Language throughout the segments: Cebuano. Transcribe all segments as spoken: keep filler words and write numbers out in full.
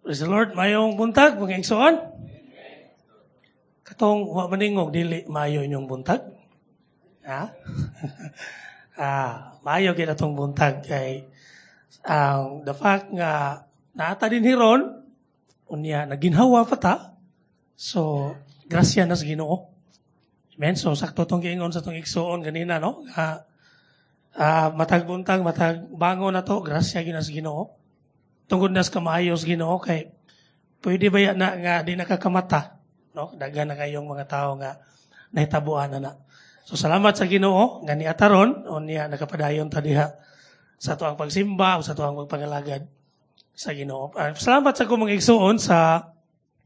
Praise the Lord. Maayong buntag, mga igsoon. Katong wa maningog, dili maayo inyong buntag. Ha? ah, maayo gyud atong buntag kay ang the fact nga naa ta dinhi ron unya naginhawa pa ta. So, grasya na sa Ginoo. Amen. So, sakto tong giingon sa tong igsoon ganina, no? Nga ah, matag buntag, matag bangon na to, grasya gyud na sa Ginoo. Tungod na sa kamaayo sa Ginoo kay pwede ba na nga di nakakamata, no? Daghan na kayong mga tao nga nahitabuan na na. So salamat sa Ginoo nga niata ron unya nakapadayon ta diha sa atoang pagsimba o sa atoang pagpangalagad sa Ginoo. Uh, salamat sa akong mga igsoon sa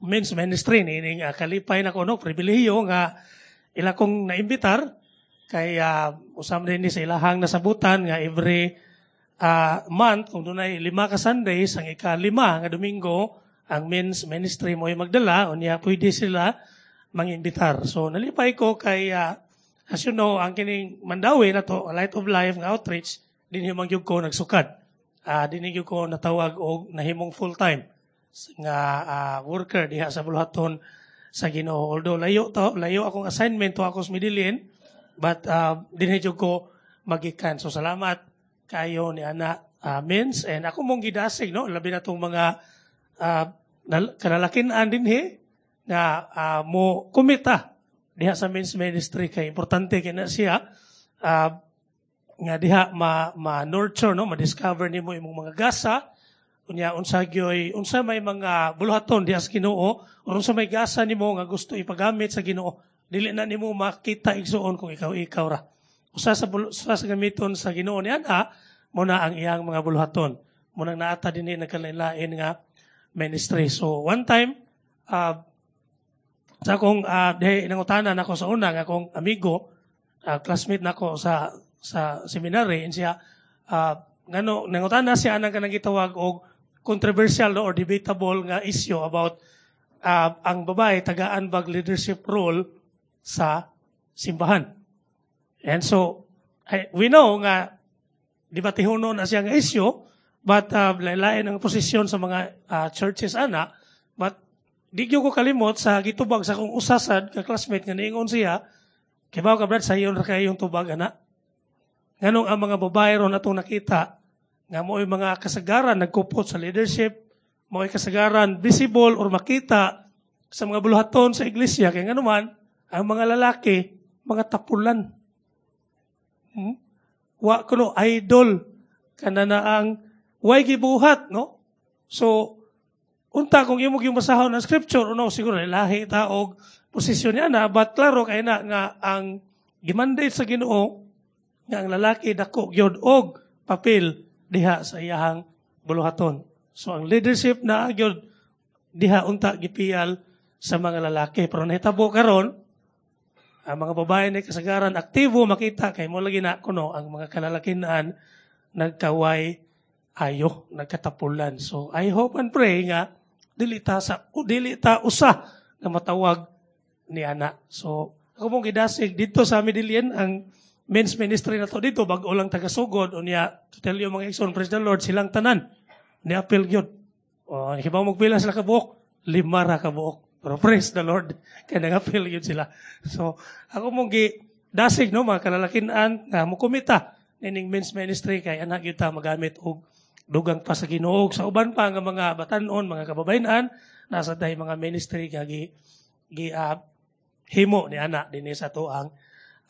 men's ministry niining uh, kalipay na ko, no, pribilehiyo nga ila kong naimbitar kay uh, usam din ni sa ilahang nasabutan nga every uh, month kung dunay lima ka Sundays, ang ikalima nga Domingo ang men's ministry mo magdala unya pwede sila mangimbitar. So nalipay ko kay uh, as you know, ang kining Mandaue na to, Light of Life nga outreach, dinhi man gyud ko nagsukad. Uh, dinhi gyud ko natawag og nahimong full time nga uh, worker diha sa buluhaton sa Ginoo. Although layo to, layo akong assignment to ako sa Medellin, but uh, dinhi gyud ko magikan. So salamat kayo ni ana uh, men's and ako mong gidasig, no, labi na tong mga uh, kalalakinan dinhi nga uh, mo kumita diha sa men's ministry kay importante kay na siya uh, nga diha ma, ma nurture, no, ma-discover nimo imong mga gasa unya unsa gyoy unsa may mga buluhaton diha sa Ginoo or unsa may gasa nimo nga gusto ipagamit sa Ginoo. Dili na nimo makita, igsuon, kung ikaw ikaw ra. Usa sa usa sa gamiton sa Ginoo ni ana mo na ang iyang mga buluhaton mo nang naata dinhi nagkalain nga ministry. So one time, uh, sa akong uh, dihay nangutana nako sa una nga akong amigo, uh, classmate nako sa sa seminary, and siya uh, ngano nangutana siya anang kanang gitawag og controversial, no, or debatable nga issue about uh, ang babae tagaan bag leadership role sa simbahan. And so I, we know nga debatehonon na siya nga issue, but uh, lain ang posisyon sa mga uh, churches ana, but di gyud ko kalimot sa gitubag sa akong usasad ka classmate nga niingon siya, "Kibaw ka, Brad, sayon ra kayo yung tubag ana. Nganong ang mga babae ron atong nakita nga mo'y mga kasagaran nagkupot sa leadership, mo'y kasagaran visible or makita sa mga buluhaton sa iglesia, kay nganuman ang mga lalaki mga tapulan. Hmm? Wa kuno idol kana na ang way gibuhat, no? So unta kung imo gyud basahon ang scripture, no, siguro lahi ta og posisyon niya na, but klaro kay na nga ang gimandate sa Ginoo nga ang lalaki dako gyud og papel diha sa iyahang buluhaton. So ang leadership na gyud diha unta gipiyal sa mga lalaki. Pero nahitabo karon, ang mga babae na kasagaran aktibo makita kay mo lagi na kuno ang mga kalalakinan nagkaway ayo, nagkatapulan. So I hope and pray nga dili ta sa dili ta usa nga matawag ni ana. So ako mong gidasig dito sa Medellin ang men's ministry na to dito, bag-o lang tagasugod unya, to tell you, mga igsoon, praise the Lord, silang tanan ni apil gyud. O hibaw magpila sila kabuok, lima ra kabuok. Pero praise the Lord kay nangapil gyud sila. So ako mong gi dasig, no, mga kalalakinan nga mokumita nining men's ministry kay ana gyud ta magamit og dugang pa sa Ginoo. Sa uban pa nga mga batanon, mga kababayen-an, nasa tay mga ministry nga gi, gi uh, himo ni ana dinhi sa atoang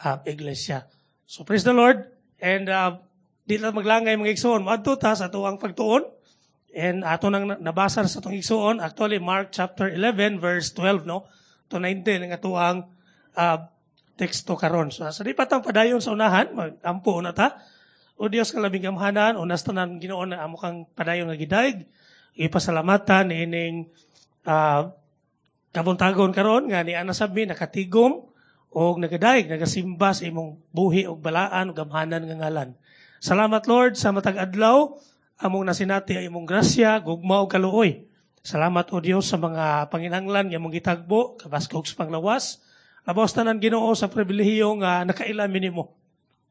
uh, iglesia. So praise the Lord and uh, di lang maglangay, mga igsoon, moadto ta sa atoang pagtuon and ato nang nabasa sa atong igsoon, actually Mark chapter eleven verse twelve, no, to nineteen ang atoang uh, teksto karon. So sa di pa tang padayon sa unahan, magampo na ta. O Dios nga labing gamhanan, unas tanan Ginoo na amo kang padayon nga gidayeg, ipasalamatan ining uh, kabuntagon karon nga ni ana sab mi nakatigom og nagadayeg, nagasimba sa imong buhi og balaan og gamhanan nga ngalan. Salamat, Lord, sa matag adlaw among nasinati ang imong grasya, gugma ug kaluoy. Salamat, O Dios, sa mga panginahanglan nga imong gitagbo, kabaskog sa panglawas. Labaw tanan, Ginoo, sa pribilehiyo nga nakaila mi nimo.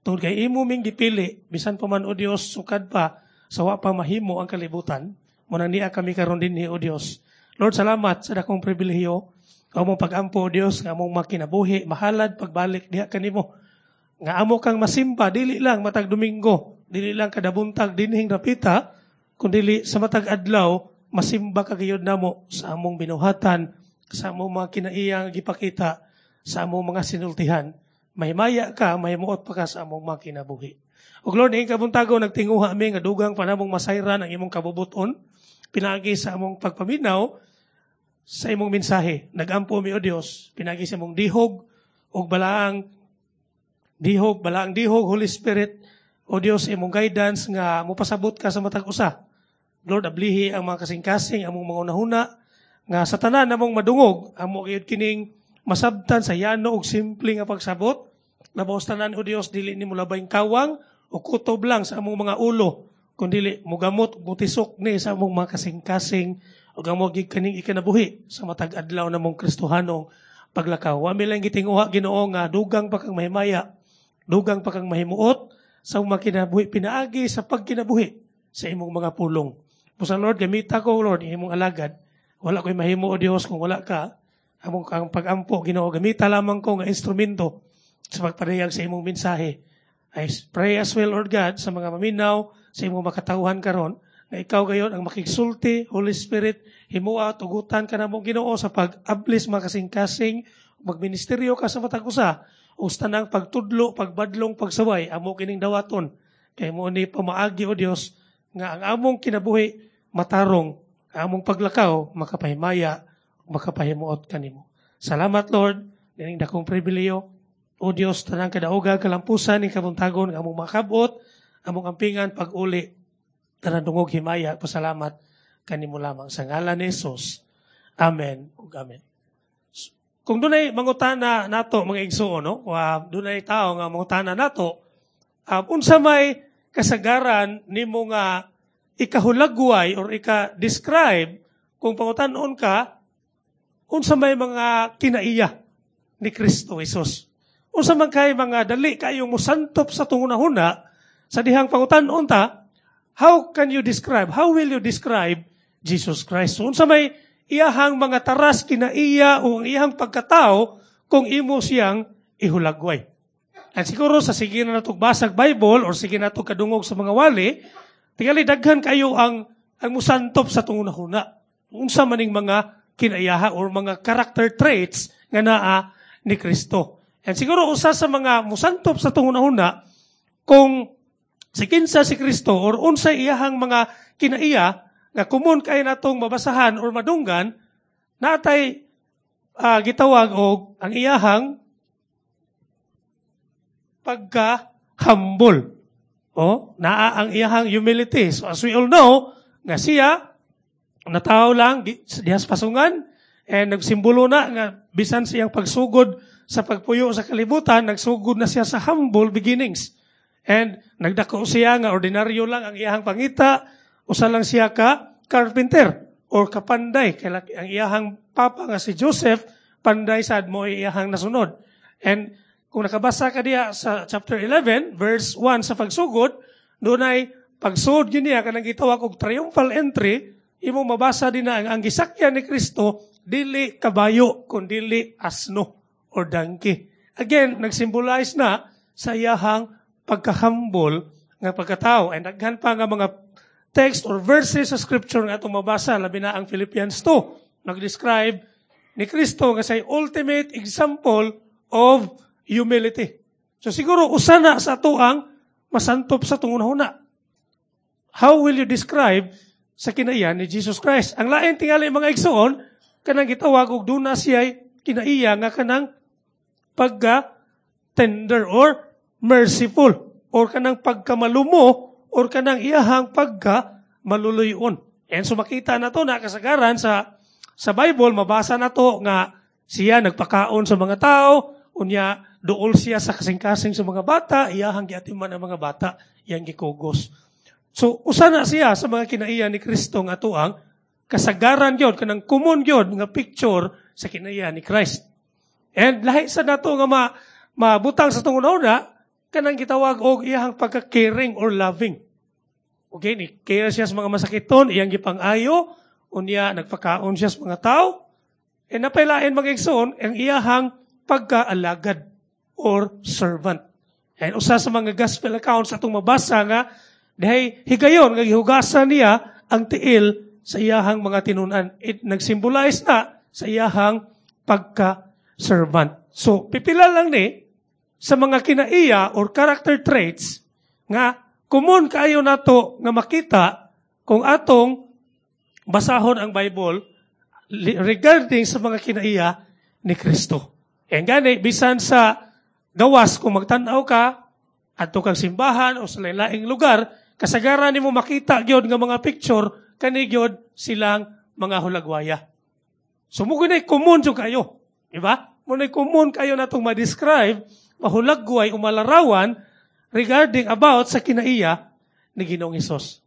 Tungod kay imo ming gipili bisan pa man, O Dios, sukad pa sa wa pa mahimo ang kalibutan. Mao nang nia kami karon dinhi, O Dios. Lord, salamat sa dakong pribilehiyo. Among pag-ampo, O Dios, nga among makinabuhi, mahalad pagbalik diha kanimo. Nga amo kang masimba, dili lang matag Domingo, dili lang kada buntag dinhing rapita, kundi sa matag adlaw, masimba ka gayud namo sa among binuhatan, sa among mga kinaiyang gipakita, sa among mga sinultihan. Mahimaya ka, mahimuot pa ka sa among mga kinabuhi. O Lord, ning kabuntago, nagtinguha mi nga dugang pa namong masayran ang imong kabubuton, pinaagi sa among pagpaminaw sa imong mensahe. Nagampo mi, O Dios, pinaagi sa imong dihog ug balaang dihog, balaang dihog, Holy Spirit, O Dios, imong guidance nga mopasabot ka sa matag usa. Lord, ablihi ang mga kasing-kasing, among mga hunahuna, nga sa tanan namong madungog, amo gyud kining masabtan sa yano ug simple nga pagsabot. Labaw sa tanan, O Dios, dili nimo labayng kawang o kutob lang sa among mga ulo, kundi mugamot ug mutisok ni sa among mga kasing-kasing ug amo gyud kaning ikinabuhi sa matag adlaw namong Kristohanong paglakaw. Wa mi lang gitinguha, Ginoo, nga dugang pa kang mahimaya, dugang pa kang mahimuot sa among mga kinabuhi pinaagi sa pagkinabuhi sa imong mga pulong. Busa Lord, gamita ko, Lord, imong alagad. Wala ko'y mahimo, O Dios, kung wala ka. Among kang pag-ampo, Ginoo, gamita lamang ko nga instrumento sa pagpadayag sa imong mensahe. I pray as well, Lord God, sa mga maminaw, sa imong makatawhan karon, nga ikaw gayon ang makigsulti, Holy Spirit, himua, tugutan ka namo, Ginoo, sa pag-ablis mga kasing-kasing, magministeryo ka sa matag usa, o sa tanang pagtudlo, pagbadlong, pagsaway, amo kining dawaton. Kay mao ni pamaagi, O Dios, nga ang among kinabuhi matarong, ang among paglakaw makapahimaya, makapahimuot kanimo. Salamat, Lord, nining dakong pribilehiyo. O Dios, tanang kadauga kalampusan ning kabuntagon nga among makabot, among ampingan pag-uli, tanang dungog himaya, pasalamat kanimo lamang sa ngalan ni Jesus. Amen ug amen. Kung dunay mangutana nato, mga igsuon, no? Wa dunay tao nga mangutana nato, um, unsa may kasagaran nimo nga ikahulagway or ika-describe kung pangutan-on ka unsa may mga kinaiya ni Kristo Jesus? Unsa man kay mga dali kayong musantop sa tungunahuna sa dihang pangutan-on ta, how can you describe, how will you describe Jesus Christ? So, unsa may iyahang mga taras kinaiya o ang iyahang pagkatao kung imo siyang ihulagway? At siguro sa sige na natog basag Bible or sige na kadungog sa mga wali, tingali daghan kayo ang ang musantop sa tungunahuna. Unsa maning mga kinaiyaha or mga character traits nga naa ni Kristo. And siguro usa sa mga musantop sa tungunahuna kung si kinsa si Kristo or unsay iyahang mga kinaiya nga common kay natong mabasahan or madunggan, natay uh, gitawag og ang iyahang pagka humble. O, naa ang iyahang humility. So as we all know, nga siya, natawo lang diha sa pasungan, and nagsimbolo na nga bisan siyang pagsugod sa pagpuyo sa kalibutan, nagsugod na siya sa humble beginnings. And nagdako siya nga ordinaryo lang ang iyahang pangita, usa lang siya ka carpenter or kapanday. Kaya ang iyahang papa nga si Joseph, panday sad mo iyahang nasunod. And kung nakabasa ka diya sa chapter eleven, verse one sa pagsugod, dunay pagsugod yun niya, kanang gitawag og triumphal entry, imo mabasa din na ang, ang gisakyan ni Kristo, dili kabayo, kundili asno or donkey. Again, nagsimbolize na sa iyahang pagkahumble nga pagkatao. And daghan pa nga mga text or verses sa scripture nga atong mabasa, labi na ang Philippians two, nag-describe ni Kristo nga say ultimate example of humility. So siguro usa na sa ato ang masantop sa tungunahuna. How will you describe sa kinaiya ni Jesus Christ? Ang lain tingali, mga igsoon, kanang gitawag og duna siya kinaiya nga kanang pagka tender or merciful or kanang pagkamalumo or kanang iyahang pagka maluluyon. And so makita na to na kasagaran sa sa Bible, mabasa na to nga siya nagpakaon sa mga tao, unya duol siya sa kasing-kasing sa mga bata, iyahang giatiman ang mga bata, iyang gikugos. So usa na siya sa mga kinaiya ni Kristo nga atuang kasagaran gyud, kanang common gyud nga picture sa kinaiya ni Christ. And lahi sa nato nga ma, mabutang sa tunguna, kanang gitawag og iyahang pagka-caring or loving. Okay, ni care siya sa mga masakiton, iyang gipang-ayo, unya nagpakaon siya sa mga tao. E napailain mga igsoon ang iyahang pagkaalagad or servant. And usa sa mga gospel accounts atong mabasa nga dihay higayon nga gihugasan niya ang tiil sa iyahang mga tinunan. It nagsimbolize na sa iyahang pagka-servant. So, pipila lang ni sa mga kinaiya or character traits nga common kaayo nato nga makita kung atong basahon ang Bible regarding sa mga kinaiya ni Kristo. E gani, bisan sa gawas, kung magtanaw ka, adto kang simbahan o sa laing lugar, kasagaran nimo makita gyud nga mga picture, kani gyud silang mga hulagwaya. So mo gunay common jud kayo. Di ba? Mo nay common kayo natong ma-describe, mahulagway o malarawan regarding about sa kinaiya ni Ginoong Hesus.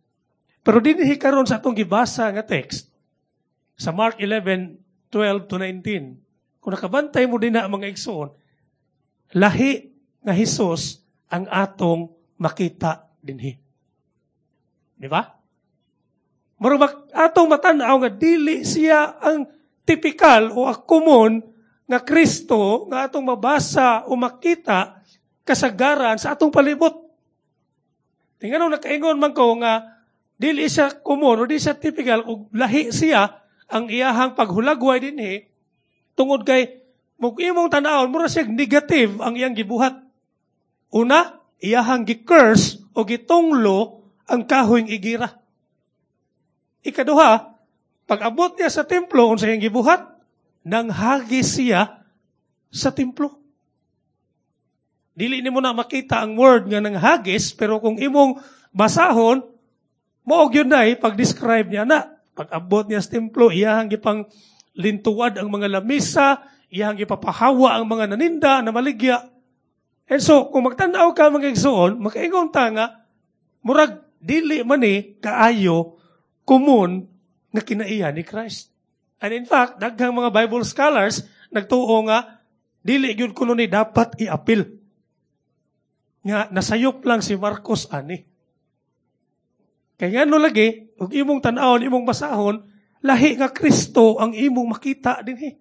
Pero dinhi karon sa atong gibasa nga text sa Mark eleven twelve to nineteen. Kung nakabantay mo din na mga igsoon, lahi nga Hesus ang atong makita dinhi. Di ba? Murag atong matan-aw nga dili siya ang tipikal o ang common nga Kristo nga atong mabasa o makita kasagaran sa atong palibot. Tingnan, nakaingon man ko nga dili siya common o di siya typical ug lahi siya ang iyahang paghulagway dinhi tungod kay mug imong tan-awon, mura siya negative ang iyang gibuhat. Una, iyahang gi-curse o gitunglo ang kahoy igira. Ikaduha, pag-abot niya sa templo, unsa iyang gibuhat? Nanghagis siya sa templo. Dili nimo na makita ang word nga nanghagis, pero kung imong basahon, mao gyud na pag-describe niya na. Pag-abot niya sa templo, iyahang gipang lintuad ang mga lamisa, iyahang gipapahawa ang mga naninda na maligya. And so, kung magtanaw ka, mga igsoon, makaingon ta nga, murag dili man ni kaayo common nga kinaiya ni Christ. And in fact, daghang mga Bible scholars nagtuo nga dili gyud kuno ni dapat iapil. Nga nasayop lang si Marcos ani. Kay ngano lagi, ug imong tan-awon, imong basahon, lahi nga Kristo ang imong makita dinhi.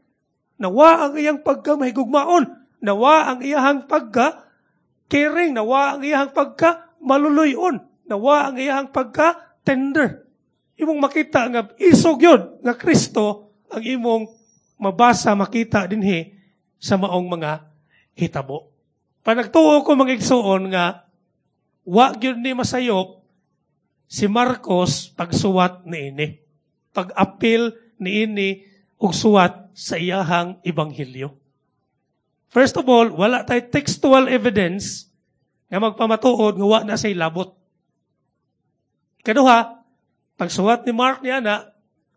Nawa ang iyang pagka mahigugmaon, nawa ang iyang pagka caring, nawa ang iyang pagka maluluyon, nawa ang iyang pagka tender. Imong makita nga isog yun nga Kristo ang imong mabasa, makita dinhi sa maong mga hitabo. Panagtuo ko, mga igsuon, nga wa gyud ni masayop si Marcos pagsuwat niini. Pag-apil niini og suwat sa iyahang ebanghelyo. First of all, wala tay textual evidence nga magpamatuod nga wa na say labot. Kaduha, pagsuwat ni Mark niya na,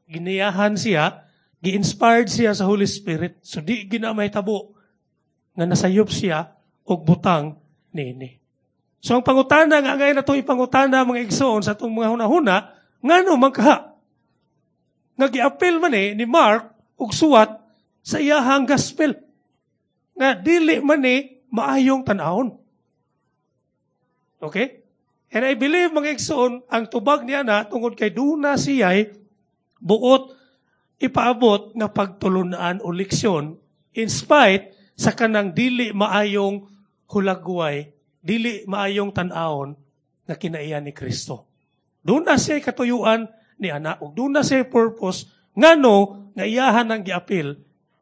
giniyahan siya, gi-inspired siya sa Holy Spirit. So di gina mahitabo nga nasayop siya og butang niini. So ang pangutana nga ngayon na itong ipangutana, mga igsoon, sa itong mga hunahuna, ngano man kaha nga giapil man eh ni Mark og suwat sa iyahang gospel nga dili man ni maayong tan-awon? Okay? And I believe, mga igsoon, ang tubag niya na tungod kay duna siya'y buot ipaabot nga pagtulunan o leksyon in spite sa kanang dili maayong hulagway, dili maayong tan-awon nga kinaiya ni Kristo. Duna siya katuyuan ni ana ug duna siya purpose ngano nga iyahan ang giapil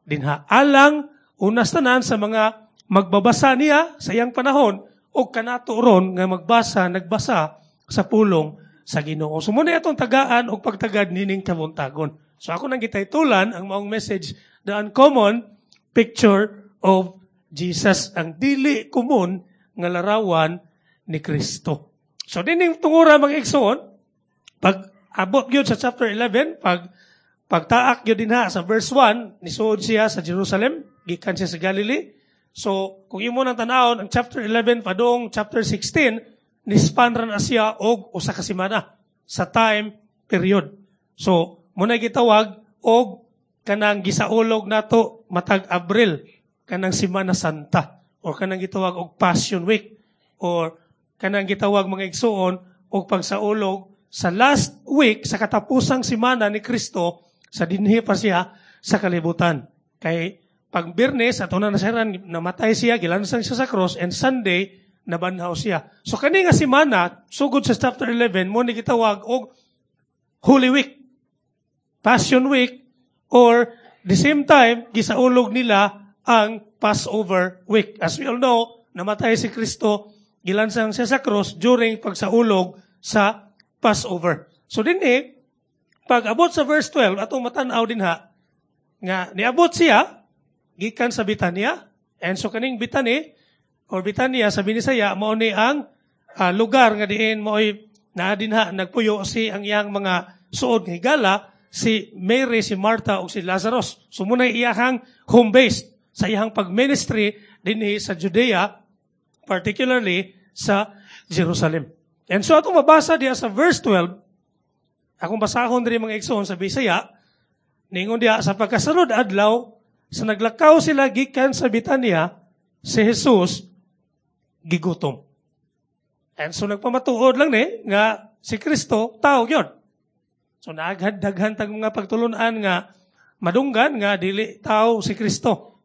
dinha alang unas tanan sa mga magbabasa niya sa iyang panahon o kanato ron nga magbasa, nagbasa sa pulong sa Ginoo. So muna atong tagaan og pagtagad nining kabuntagon. So ako nang gitaytulan ang maong message, "The Uncommon Picture of Jesus", ang dili common nga larawan ni Kristo. So dining tungura, mga igsoon, pag abot gyud sa chapter eleven, pag pagtaak gyud dinha sa verse one, nisuod siya sa Jerusalem, gikan siya sa Galilee. So, kung imo nang tan-awon, ang chapter eleven padung chapter sixteen, nispan ra na siya og usa ka semana sa time period. So, muna gitawag og kanang gisaulog nato matag Abril, kanang Semana Santa or kanang gitawag og Passion Week or kanang gitawag, mga igsuon, og pagsaulog. sa last week, sa katapusang simana ni Kristo, sa dinhi pa siya sa kalibutan. Kay pag Biyernes, ato na nasayran, namatay siya, gilansang siya sa cross, and Sunday, nabanhaw siya. So kani nga simana, sugod sa chapter eleven, mo ni gitawag og Holy Week, Passion Week, or the same time, gisaulog nila ang Passover Week. As we all know, namatay si Kristo, gilansang siya sa cross during pagsaulog sa Passover. So dinhi, pag abot sa verse twelve, atong matanaw din ha, nga niabot siya, gikan sa Bitania, and so kaning Bitani, or Bitania sa Binisaya, mao ni ang uh, lugar nga diin mao'y naa dinha nagpuyo si ang iyang mga suod nga higala, si Mary, si Martha ug si Lazarus. So muna iyahang home base sa iyang pag-ministry dinhi sa Judea, particularly sa Jerusalem. And so atong mabasa diya sa verse twelve, akong basahon diri, mga igsoon, sa Bisaya, ningon diya, "Sa pagkasunod adlaw, sa naglakaw sila gikan sa Bitania, si Jesus gigutom." And so nagpamatuod lang ni nga si Kristo tao gyud. So naghad daghan tag mga pagtulunan nga madunggan nga dili tao si Kristo.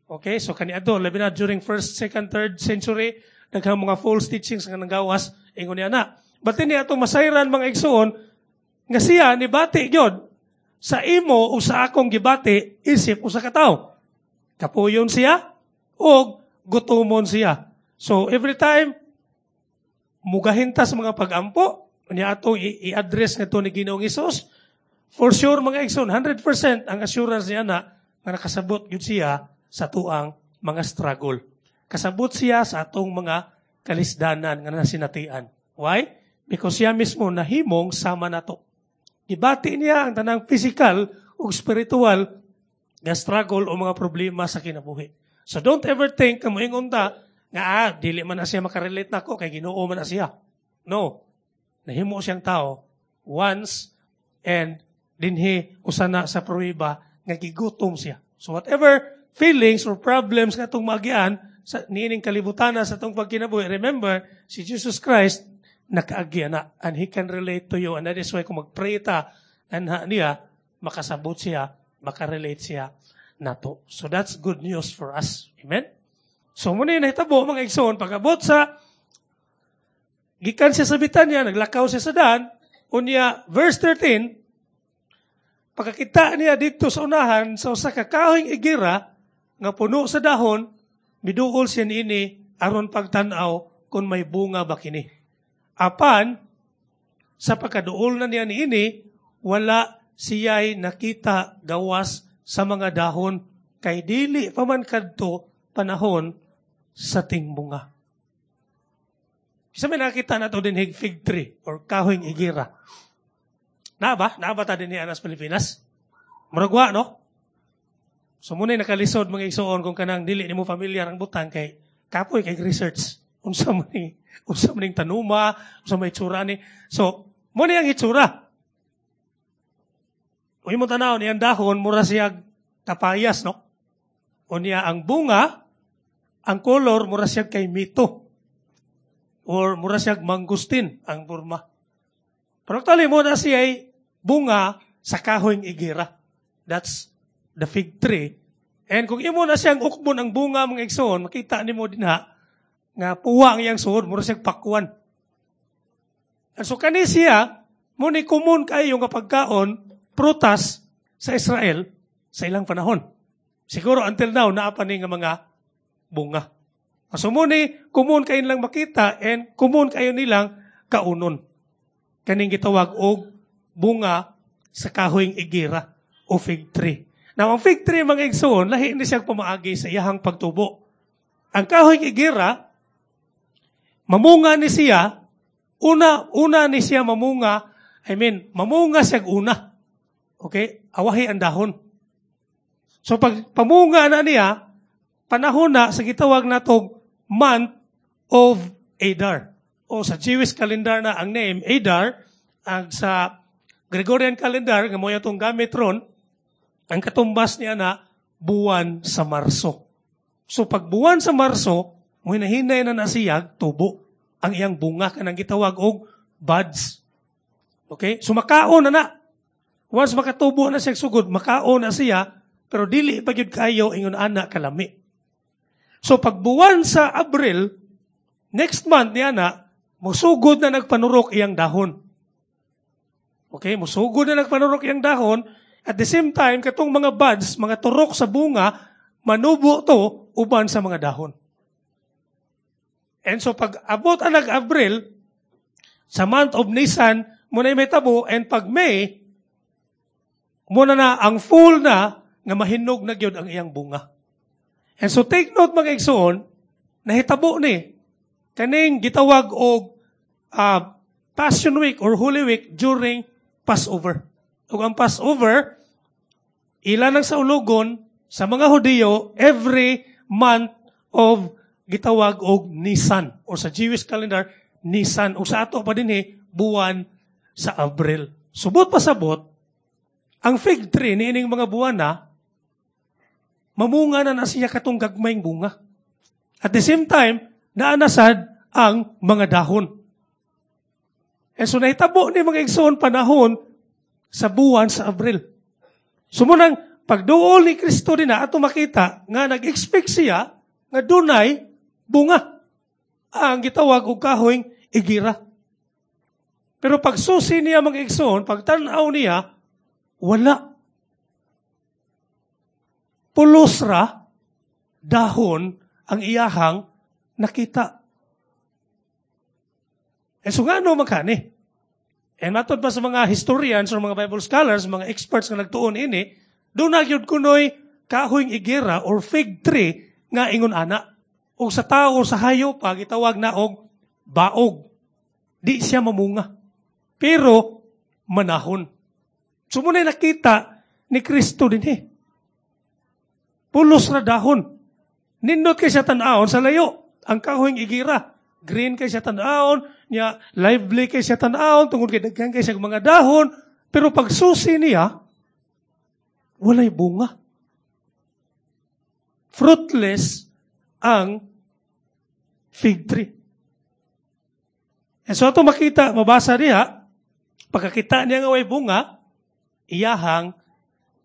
Okay, so kaniadto, labi na during first, second, third century, daghang mga false teachings nga nanggawas ingon niya na. But ini atong masayran, mga igsoon, nga siya nibati gyud sa imo o sa akong gibati isip usa ka tawo. Kapuyon siya og gutomon siya. So every time mugahin ta sa mga pagampo, unya atong i-address ngadto ni Ginoong Hesus, for sure, mga igsoon, one hundred percent ang assurance niya na nga nakasabot gyud siya sa tuang mga struggle. Kasabot siya sa atong mga kalisdanan nga nasinatian. Why? Because siya mismo nahimong sama nato. Gibati niya ang tanang physical ug spiritual nga struggle o mga problema sa kinabuhi. So don't ever think nga moingon ta nga ah, dili man na siya makarelate nako kay Ginoo man na siya. No. Nahimo siyang tao once and dinhi usa na sa pruweba nga gigutom siya. So whatever feelings or problems nga atong maagian sa niining kalibutan sa atong pagkinabuhi, remember, si Jesus Christ nakaagi na and He can relate to you, and that is why kung magpray ta anha niya, makasabot siya, makarelate siya nato. So that's good news for us. Amen? So muna yung nahitabo, mga igsoon, pag-abot sa gikan siya sa Bitanya, naglakaw siya sa daan, unya, verse thirteen, pagkakita niya dito sa unahan sa usa ka kahoyng igira nga puno sa dahon, miduol siya niini aron pagtan-aw kung may bunga ba kini. Apan sa pagkaduol na niya niini, wala siya'y nakita gawas sa mga dahon kay dili pa man kadto panahon sa tingbunga. Isa may nakita na to din fig tree or kahoyng igira. Na ba? Na ba ta din sa Pilipinas? Murag no? So muna nakalisod, mga igsoon, kung kanang dili nimo familiar ang butang kay kapoy kay research. Unsa man ni unsa man ning tanuma, unsa may itsura ni. So mo ni ang itsura. Kung imo tanaw niyang dahon, mura siya kapayas, no? Unya ang bunga, ang color mura siya kay mito. Or mura siya mangustin ang burma. Pero actually mo na siya ay bunga sa kahoyng igira. That's the fig tree. And kung imo na siyang ukbon ang bunga, mga igsoon, makita nimo dinha nga puwa ang iyang suod, mura siyang pakwan. And so kani siya, mo ni common kayo nga pagkaon, prutas sa Israel sa ilang panahon. Siguro until now, naa pa ni nga mga bunga. So mo ni common kayo nilang makita and common kayo nilang kaunon. Kaning gitawag og bunga sa kahoyng igira o fig tree. Now, ang fig tree, mga igsoon, lahi ni siyang pamaagi sa iyahang pagtubo. Ang kahoyng igira, mamunga ni siya, una, una ni siya mamunga, I mean, mamunga siya una. Okay? Awahi ang dahon. So pag pamunga na niya, panahon na sa gitawag natong month of Adar. O sa Jewish calendar na ang name Adar, ang sa Gregorian calendar nga mo atong gamit ron, ang katumbas niya na buwan sa Marso. So pag buwan sa Marso, mo hinahinay na nasiyag tubo ang iyang bunga kanang gitawag og buds. Okay? So makaon na na. Once makatubo na siya sugod, makaon na siya, pero dili pa gyud kayo ingon ana kalami. So pagbuwan sa Abril, next month niya na, musugod na nagpanurok iyang dahon. Okay, musugod na nagpanurok iyang dahon. At the same time, katong mga buds, mga turok sa bunga, manubo to uban sa mga dahon. And so pag abot ang nag-Abril, sa month of Nisan, muna may tabo, and pag May, muna na ang full na, nga mahinog na gyud ang iyang bunga. And so take note mga igsoon, nahitabo ni, kaning gitawag og uh, Passion Week or Holy Week during Passover. Ug ang Passover, ila nang saulugon sa mga Hudiyo every month of gitawag og Nisan or sa Jewish calendar Nisan ug sa ato pa dinhi buwan sa Abril. Subot pasabot ang fig tree niining mga buwan na mamunga na na siya katong gagmayng bunga. At the same time, naanasad ang mga dahon. E so nahitabo ni mga igsoon panahon sa buwan sa Abril. So munang pagduol ni Kristo din na ato makita nga nag-expect siya nga dunay bunga ang gitawag og kahoy igira. Pero pagsusi niya mga igsoon, pagtan-aw niya, wala. Pulos ra dahon ang iyahang nakita. E so ngano makani? E matod pa sa mga historians or mga Bible scholars, mga experts nga nagtuon ini, duna gyud kunoy kahoy igira or fig tree nga ingon ana. O sa tao o sa hayop pa gitawag na og baog. Di siya mamunga. Pero manahon. So muna nakita ni Kristo dinhi. Pulos ra dahon. Nindot kay siya tan-awon sa layo. Ang kahoy igira. Green kay siya tan-awon, niya lively kay siya tan-awon tungod kay daghan kay siya mga dahon, pero pagsusi niya walay bunga. Fruitless ang fig tree. And so ato makita, mabasa niya, pagkakita niya nga way bunga, iyahang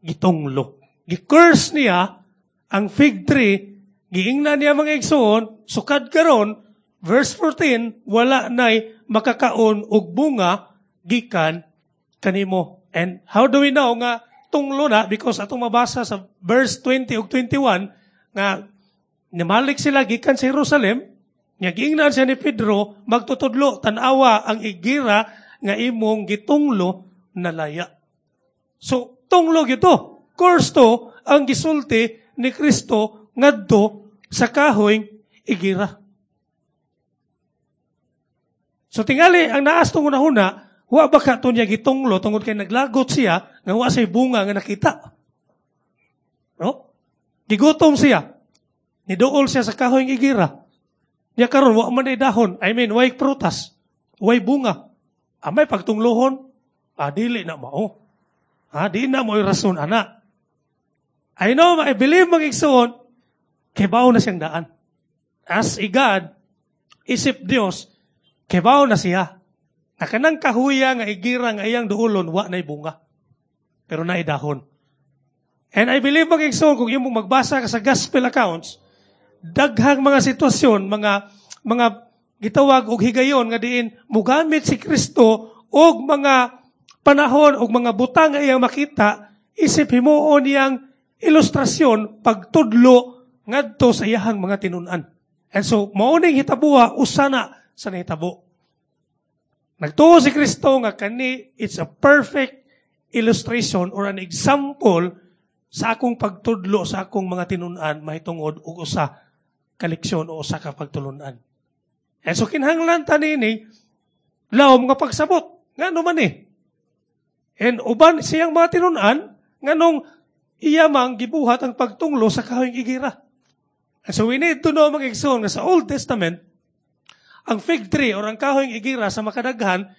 gitunglo. Gi-curse niya ang fig tree, giingnan niya mga igsoon, sukad karon, verse fourteen, wala na'y makakaon og bunga gikan kanimo. And how do we know nga tunglo na? Because atong mabasa sa verse twenty ug twenty-one nga nimalik sila gikan sa Jerusalem, nga giingnan siya ni Pedro, magtutudlo, tan-awa ang igira nga imong gitunglo nalaya. So, tunglo gito. Curse to ang gisulti ni Kristo ngadto sa kahoy igira. So tingali, ang naas tong una-una, wa ba ka to niya gitunglo tungod kay naglagot siya nga wa say bunga nga nakita. No? Gigutom siya. Niduol siya sa kahoy igira. Niya karon wa man ay dahon, I mean way prutas, way bunga. Amay pagtunglohon, ah, dili na mao. Ah, di na mo rason ana. I know, I believe mga igsoon, kibaw na siyang daan. As a God, isip Dios, kibaw na siya. Na kanang kahuya nga igira nga iyang duulon, wa na'y bunga. Pero na'y dahon. And I believe mga igsoon, kung imong magbasa ka sa gospel accounts, daghang mga sitwasyon, mga mga gitawag og higayon nga diin mugamit si Kristo og mga panahon og mga butang nga iyang makita, isip himuon niyang ilustrasyon pagtudlo ngadto sa iyahang mga tinun-an. And so, mao ning hitabuha usa na sa nahitabo. Nagtuo si Kristo nga kani it's a perfect illustration or an example sa akong pagtudlo sa akong mga tinun-an mahitungod og usa ka leksyon o usa ka pagtulun-an. And so kinahanglan ta niini lawom nga pagsabot ngano man eh. And uban siyang mga tinun-an nganong iya mang gibuhat ang pagtunglo sa kahoy igira. And so we need to know mga igsoon nga sa Old Testament ang fig tree or ang kahoy igira sa makadaghan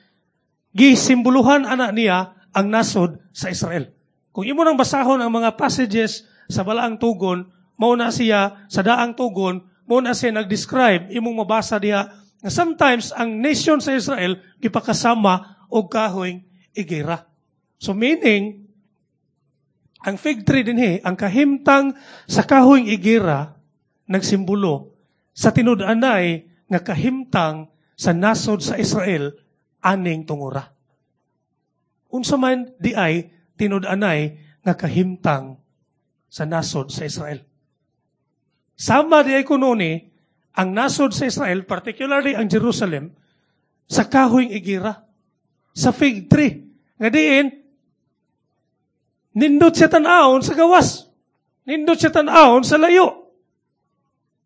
gisimboluhan ana niya ang nasod sa Israel. Kung imo nang basahon ang mga passages sa balaang tugon, mao na siya sa daang tugon, mao na siya nag-describe, imong mabasa diha nga sometimes ang nation sa Israel gipakasama og kahoy igera. So meaning, ang fig tree dinhi, ang kahimtang sa kahoyng igera, nagsimbolo sa tinud-anay nga kahimtang sa nasod sa Israel aning tungura. Unsa man di ay tinud-anay nga kahimtang sa nasod sa Israel. Sama di ay kuno ni ang nasod sa Israel, particularly ang Jerusalem, sa kahoyng igera, sa fig tree. Nga diin, nindot siya tan-awon sa gawas. Nindot siya tan-awon sa layo.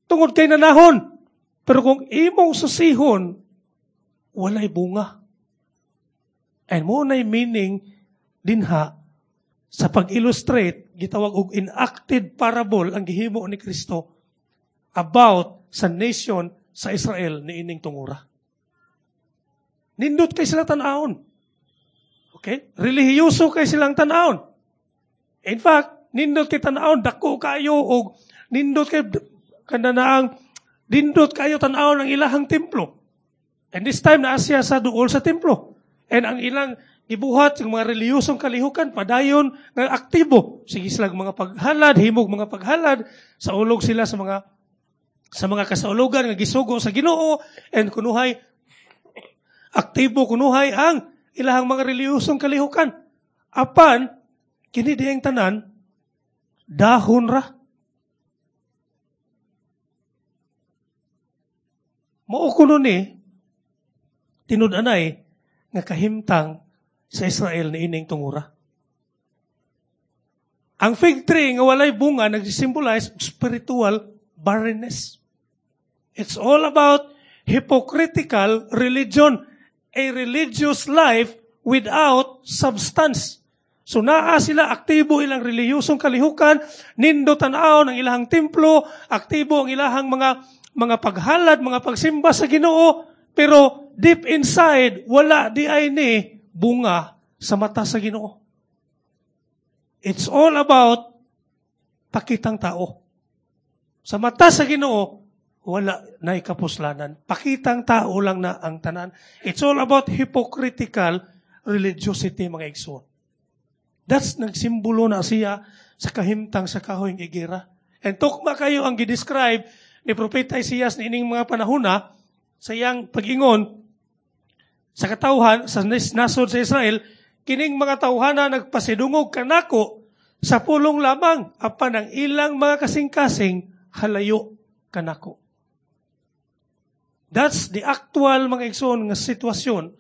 Tungod kay nanahon. Pero kung imong susihon, walay bunga. And mao na'y meaning dinha sa pag-illustrate, gitawag og enacted parable ang gihimo ni Kristo about sa nation sa Israel ni ining tungura. Nindot kay sila tan-awon. Okay? Relihiyoso kay silang tan-awon. In fact, nindot kay tan-awon, dako kayo og nindot kay kananaang nindot kayo tan-awon ang ilahang templo. And this time naa siya sa duol sa templo. And ang ilang gibuhat yung mga relihiyosong kalihukan padayon nga aktibo. Sige sila mga paghalad, himog mga paghalad, sa ulog sila sa mga sa mga kasaulugan nga gisugo sa Ginoo, and kunuhay aktibo kunuhay ang ilahang mga relihiyosong kalihukan. Apan kini diyang tanan dahon ra. Mao kuno ni tinud-anay nga kahimtang sa Israel ni ining tungura. Ang fig tree nga walay bunga nagsisymbolize spiritual barrenness. It's all about hypocritical religion, a religious life without substance. So naa sila, aktibo ilang relihiyosong kalihukan, nindo tan-aw ng ilahang templo, aktibo ang ilahang mga mga paghalad, mga pagsimba sa Ginoo, pero deep inside, wala di ay ni bunga sa mata sa Ginoo. It's all about pakitang tao. Sa mata sa Ginoo, wala na ikapuslanan. Pakitang tao lang na ang tanan. It's all about hypocritical religiosity, mga igsoon. That's nagsimbolo na siya sa kahimtang sa kahoyng igera. And tukma kayo ang gidescribe ni Propeta Isaias ni ining mga panahona sa iyang pag-ingon sa katawhan sa nasod sa Israel, kining mga tawhana nagpasidungog kanako sa pulong lamang apan ang ilang mga kasing-kasing halayo kanako. That's the actual mga igsoon nga sitwasyon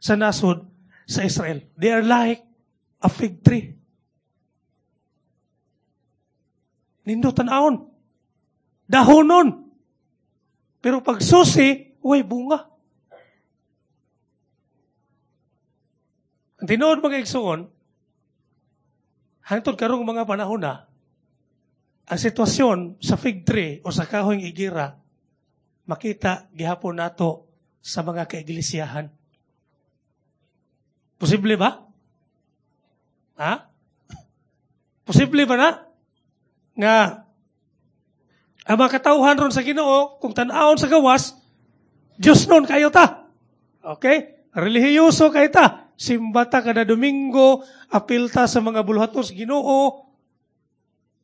sa nasod sa Israel. They are like a fig tree. Nindo tan-awon. Dahonon. Pero pag susi, way bunga. Ang tinuod mga igsoon, hangtod karong mga panahon na, ang sitwasyon sa fig tree o sa kahoyng igira, makita gihapon nato sa mga kaiglesiyahan. Posible ba? Ha? Posible ba na? Nga, ang mga katawhan ron sa Ginoo, kung tan-awon sa gawas, Diyos nun kayo ta. Okay? Relihiyoso kayo ta. Simba ta kada Domingo, apil ta sa mga buluhaton sa Ginoo.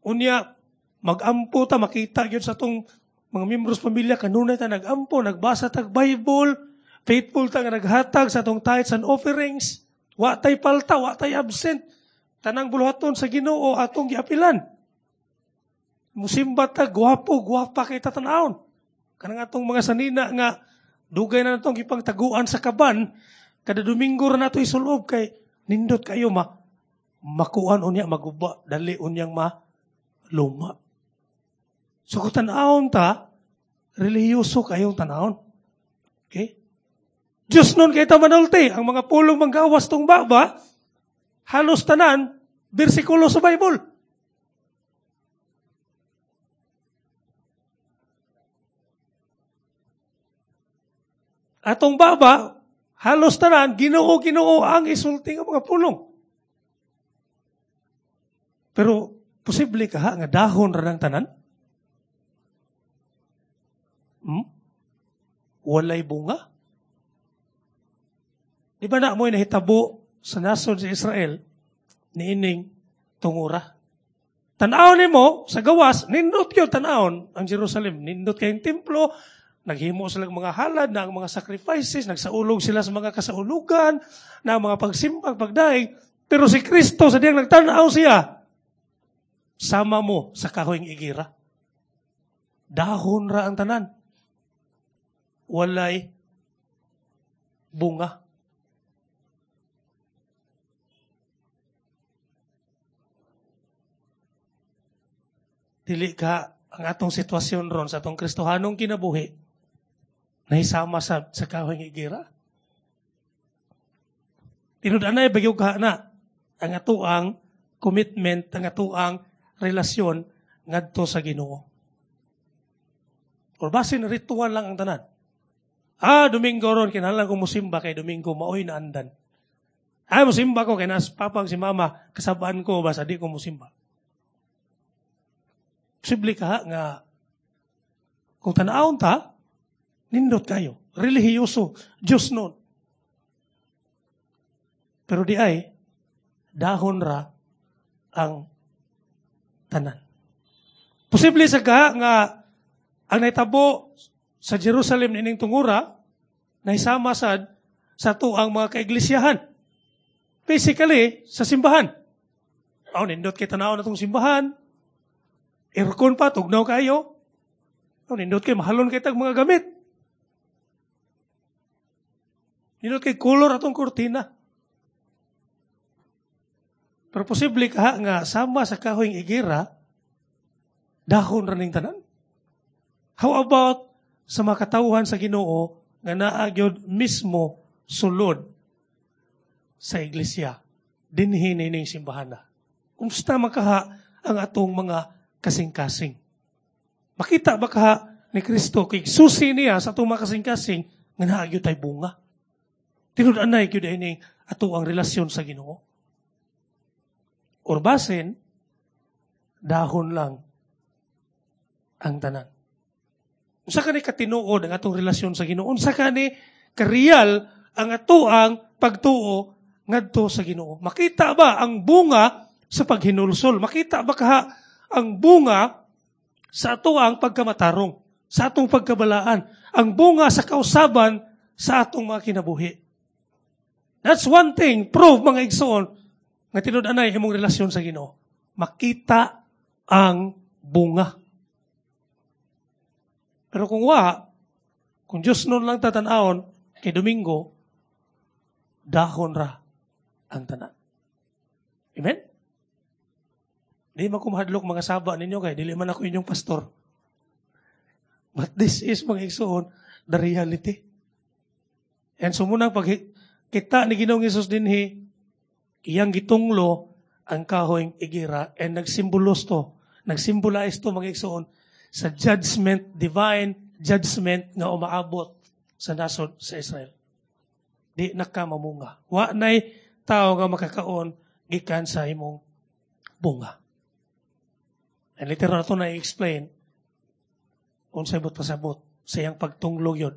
Unya, mag-ampo ta, makita yun sa tong mga membros pamilya, kanunay ta nag-ampo, nagbasa tag Bible, faithful ta nga naghatag sa atong tithes and offerings. Wa tay palta, wa tay absent. Tanang buluhaton sa Ginoo atong giapilan. Musimba ta, gwapo, gwapa kay tatanawon. Kanang atong mga sanina nga dugay na natong ipangtaguan sa kaban, kada Domingo ra nato isulob kay nindot kayo ma makuan unya maguba, dali unyang ma luma. So kung tanawon ta, relihiyoso kayong tanawon. Okay? Diyos nun kay ta manulti, ang mga pulong manggawas tong baba, halos tanan, bersikulo sa Bible. Atong baba, halos tanan, Ginoo, Ginoo ang isulti ng mga pulong. Pero, posible ka ha, nga dahon ra ng tanan? Hmm? Walay bunga? Di ba na mo'y nahitabo sa nasod sa Israel niining tungura. Tan-awon nimo sa gawas, nindot gyud tan-awon ang Jerusalem. Nindot kayong templo, naghimo sila ng mga halad na ang mga sacrifices, nagsaulog sila sa mga kasaulugan, na ang mga pagsimbag, pagdaig. Pero si Kristo, sa diyang nagtanaw siya, sama mo sa kahoyng igira. Dahon ra ang tanan. Walay bunga. Dili ka ang atong sitwasyon ron sa atong Kristohanong kinabuhi nahisama sa, sa kahoy ng igira. Tinud-anay bagyo ka na ang atoang commitment, ang atoang relasyon ngadto sa Ginoo. Or basin ritual lang ang tanan. Ah, Domingo ron, kinahanglan ko musimba kay Domingo, maoy na andan. Ah, musimba ko kay nas papang si mama, kasabaan ko, basta di ko musimba. Posible ka nga kung tanawon ta, nindot kayo. Relihiyoso, Diyos nun. Pero di ay, dahon ra ang tanan. Posible sa ka nga ang naitabo sa Jerusalem nining tungura, nahisama sad sa tuang mga kaiglisyahan. Basically, sa simbahan. Oh, nindot kay tanawon na tong simbahan. Aircon pa, tugnaw kayo. Oh, nindot kay mahalon kay tag mga gamit. Nindot kay color atong kurtina. Pero posible ka nga sama sa kahoyng igira, dahon ra ning tanan. How about sa mga katawhan sa Ginoo nga naa gyud mismo sulod sa iglesia dinhi nining simbahan na. Kumusta man kaha ang atong mga kasing-kasing? Makita ba kaha ni Kristo kay susi niya sa atong mga kasing-kasing nga naa gyud tay bunga? Tinud-anay gyud ining ato ang relasyon sa Ginoo. Or basin dahon lang ang tanan. Unsa kani katinuod ang atong relasyon sa Ginoo? Unsa kani ka-real ang atoang pagtuo ngadto sa Ginoo? Makita ba ang bunga sa paghinulsol? Makita ba kaha ang bunga sa atoang pagkamatarong, sa atong pagkabalaan, ang bunga sa kausaban sa atong mga kinabuhi? That's one thing, prove mga igsoon, nga tinud-anay imong relasyon sa Ginoo. Makita ang bunga. Pero kung wa, kung Diyos nun lang tatanawon, kay Domingo, dahon ra ang tanan. Amen? Di man ko mahadlok mga saba ninyo kay dili man ako inyong pastor. But this is, mga igsoon, the reality. And so munang pag kita ni Ginoong Hesus dinhi, iyang gitunglo ang kahoyng igira and nagsimbolos to, nagsimbolize to mga igsoon sa judgment, divine judgment nga umaabot sa nasod sa Israel. Di nakamamunga. Wa nay tao nga makakaon gikan sa imong bunga. And later na ito na-explain unsay buot pasabot sa iyang pagtunglog yun.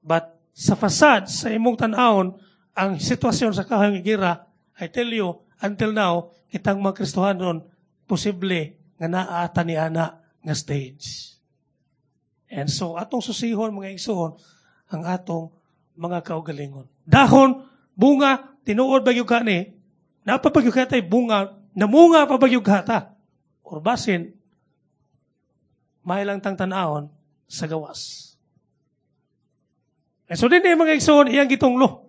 But sa facade, sa imong tan-awon, ang sitwasyon sa kahoyng igira, I tell you, until now, kitang mga Kristohanon, posible nga naa ta niana nga stage. And so, atong susihon, mga igsoon, ang atong mga kaugalingon. Dahon, bunga, tinuod ba yung kani, napapag yung katay bunga, namunga pa ba yung kata? Or basin, may lang tang tanahon sa gawas. And so, din yung mga igsoon, iyang gitunglo.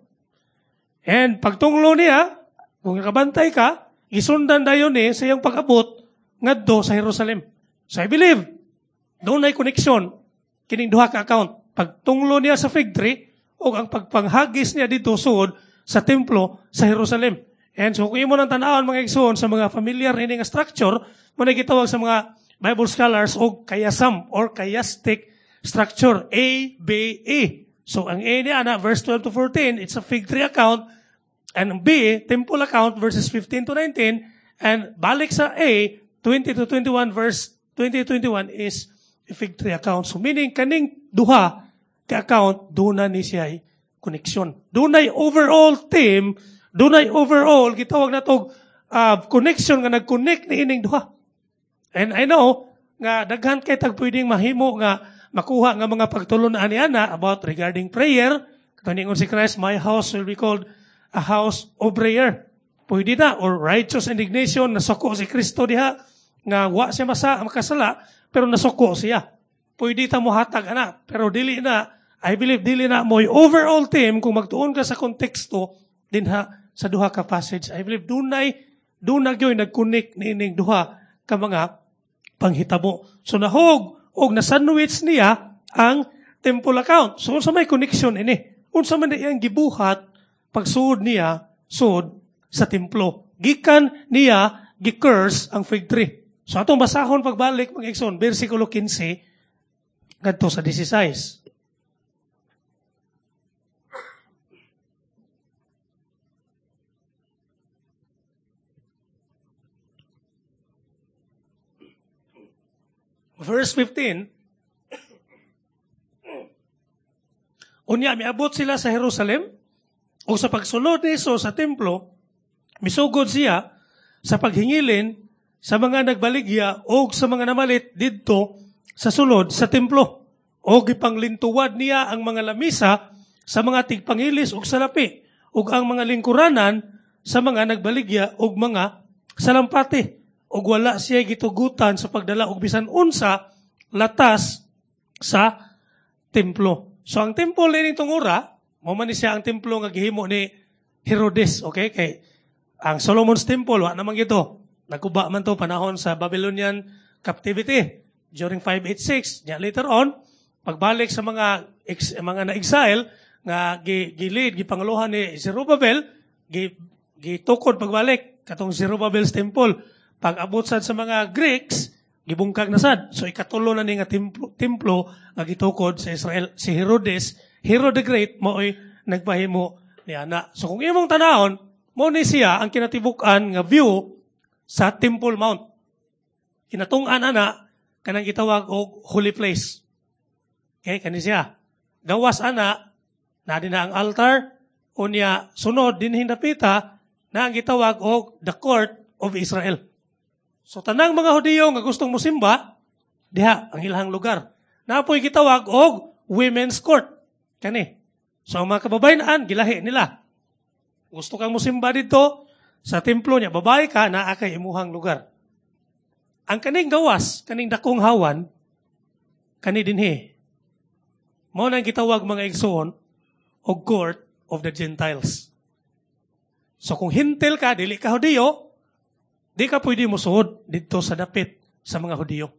And pagtunglo niya, kung nakabantay ka, gisundan dayon ni sa iyang pag-abot ngadto sa Jerusalem. So I believe, doon ay connection kining duha ka account. Pagtunglo niya sa fig tree o ang pagpanghagis niya dito suod sa templo sa Jerusalem. And so kung imo nang tan-awon mga igsoon sa mga familiar ini nga structure, mo na gitawag sa mga Bible scholars og chiasm or chiastic structure, A B E. So ang A niya ana verse twelve to fourteen, it's a fig tree account, and B, temple account verses fifteen to nineteen, and balik sa A, twenty to twenty-one verse twenty to twenty-one is a fig tree account. So meaning kaning duha ka account doon na ni siya koneksyon. Dunay overall theme, Dunay overall gitawag nato uh, connection nga nag-connect ni ining duha. And I know nga daghan kay tag pwedeng mahimo nga makuha nga mga pagtulun-an ni ana about regarding prayer. Kaningon si Christ, my house will be called a house of prayer. Pwede na, or righteous indignation, nasuko si Kristo diha nga wa siya masa makasala pero nasuko siya. Pwede ta mohatag ana, pero dili na, I believe dili na mo'y overall theme kung magtuon ka sa konteksto dinha sa duha ka passage. I believe dunay dunay gyoy nag-connect niining duha ka mga panghitabo. So nahog og nasandwich niya ang temple account. So unsa may connection ini? Unsa man iyang gibuhat pagsuod niya sud sa templo? Gikan niya gi-curse ang fig tree. So atong basahon pagbalik mga igsoon, bersikulo kinse ngadto sa labing-siyam. Verse fifteen, unya miabot sila sa Jerusalem, o sa pagsulod ni Jesus sa templo, misugod siya sa paghingilin sa mga nagbaligya o sa mga namalit didto sa sulod sa templo. O gipanglintuwad niya ang mga lamisa sa mga tigpangilis ug salapi, ug ang mga lingkuranan sa mga nagbaligya ug mga salampati. Ug wala siya gitugutan sa pagdala og bisan unsa latas sa templo. So ang templo nining tungura, mao man ni siya ang templo nga gihimo ni Herodes, okay? Kay ang Solomon's Temple wa naman gito. Nagkuba man to panahon sa Babylonian captivity during five eighty-six. Nya later on, pagbalik sa mga ex, mga na-exile nga gi, gi-lead gipanguluhan ni Zerubbabel, gi gitukod pagbalik katong Zerubbabel's Temple. Pag-abot sad sa mga Greeks, gibungkag na sad. So ikatulo na ni nga templo, templo nga gitukod sa Israel. Si Herodes, Herod the Great, maoy nagpahimo ni ana. So kung imong tanahon, mo ni siya ang kinatibuk-an nga view sa Temple Mount. Kinatung-an ana kanang gitawag og holy place. Okay, kani siya. Gawas ana, na din na ang altar, unya sunod dinhi dapita na ang gitawag og the court of Israel. So tanang mga Hudiyo nga gustong mosimba, diha ang ilahang lugar. Napoy gitawag og women's court. Kani. So ang mga kababayen-an gilahi nila. Gusto kang mosimba dito sa templo niya, babae ka, naa kay imuhang lugar. Ang kaning gawas, kaning dakong hawan, kani dinhi. Mao nang gitawag mga igsoon og court of the Gentiles. So kung hintil ka, dili ka Hudiyo, di ka pwede mosuod didto sa dapit sa mga Hudiyo.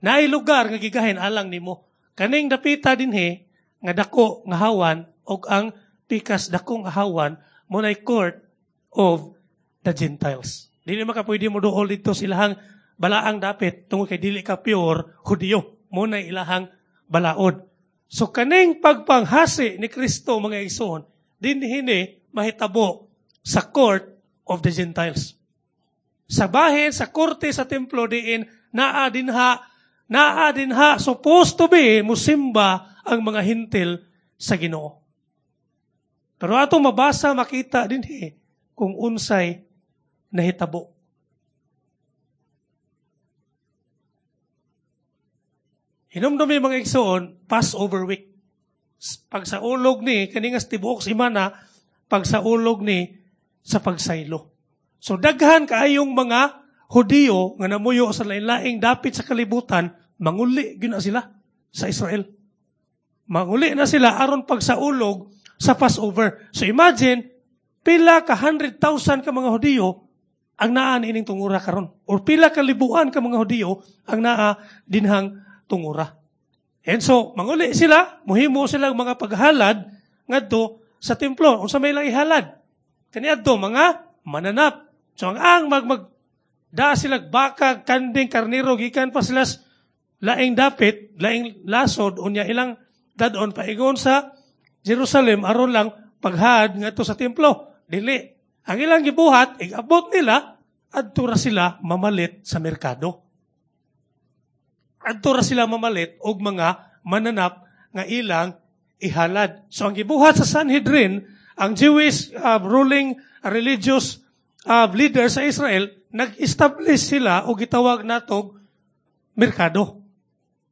Naay lugar nga gigahin alang nimo. Kaning dapita dinhi nga dako nga hawan og ang pikas dakong hawan mo nay court of the Gentiles. Dili maka pwede mo duol didto sa ilahang balaang dapit tungod kay dili ka pure Hudiyo. Mo nay ilahang balaod. So kaning pagpanghasi ni Kristo mga igsoon dinhi ni mahitabo sa court of the Gentiles. Sa bahin, sa korte, sa templo, diin, naa dinha, naa dinha, supposed to be, musimba ang mga hintil sa Ginoo. Pero atong mabasa, makita dinhi, kung unsay nahitabo. Hinumdumi mga igsoon, Passover week. Pag sa ulog ni, kaningas tibuok si mana, pag sa ulog ni, sa pagsaylo. So daghan kaayong mga Hudiyo nga namuyo sa lain-laing dapit sa kalibutan, manguli gyud na sila sa Israel. Manguli na sila aron pagsaulog sa Passover. So imagine, pila ka hundred thousand ka mga Hudiyo ang naa niining tungura karon, or pila ka libuan ka mga Hudiyo ang naa dinhang tungura. And so manguli sila, muhimo sila mga paghalad ngadto sa templo. Unsa may ilang ihalad? Kaniadto mga mananap. So ang ang mag, mag da sila baka, kanding, karniro, gikan pa sila laing dapit, laing lasod, unya ilang dadon paigon sa Jerusalem aron lang paghad ngadto sa templo. Dili. Ang ilang gibuhat, igabot nila, adto ra sila mamalit sa merkado. Adto ra sila mamalit og mga mananap nga ilang ihalad. So ang gibuhat sa Sanhedrin, ang Jewish uh, ruling religious uh, leaders sa Israel, nag-establish sila og gitawag natog merkado.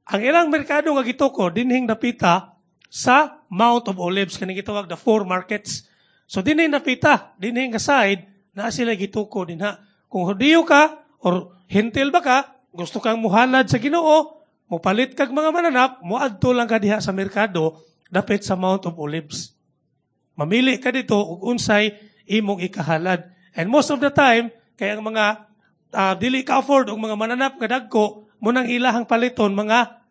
Ang ilang merkado nga gituko dinhing dapita sa Mount of Olives kaning gitawag the four markets. So dinhing dapita, dinhing nga side naa sila gituko dinha. Kung Hudiyo ka or Hentil ba ka, gusto kang muhalad sa Ginoo, mupalit kag mga mananap, muadto lang ka diha sa merkado dapit sa Mount of Olives. Mamili ka dito og unsay imong ikahalad. And most of the time, kay ang mga uh, dili ka afford og mga mananap nga dagko, munang ilahang paliton mga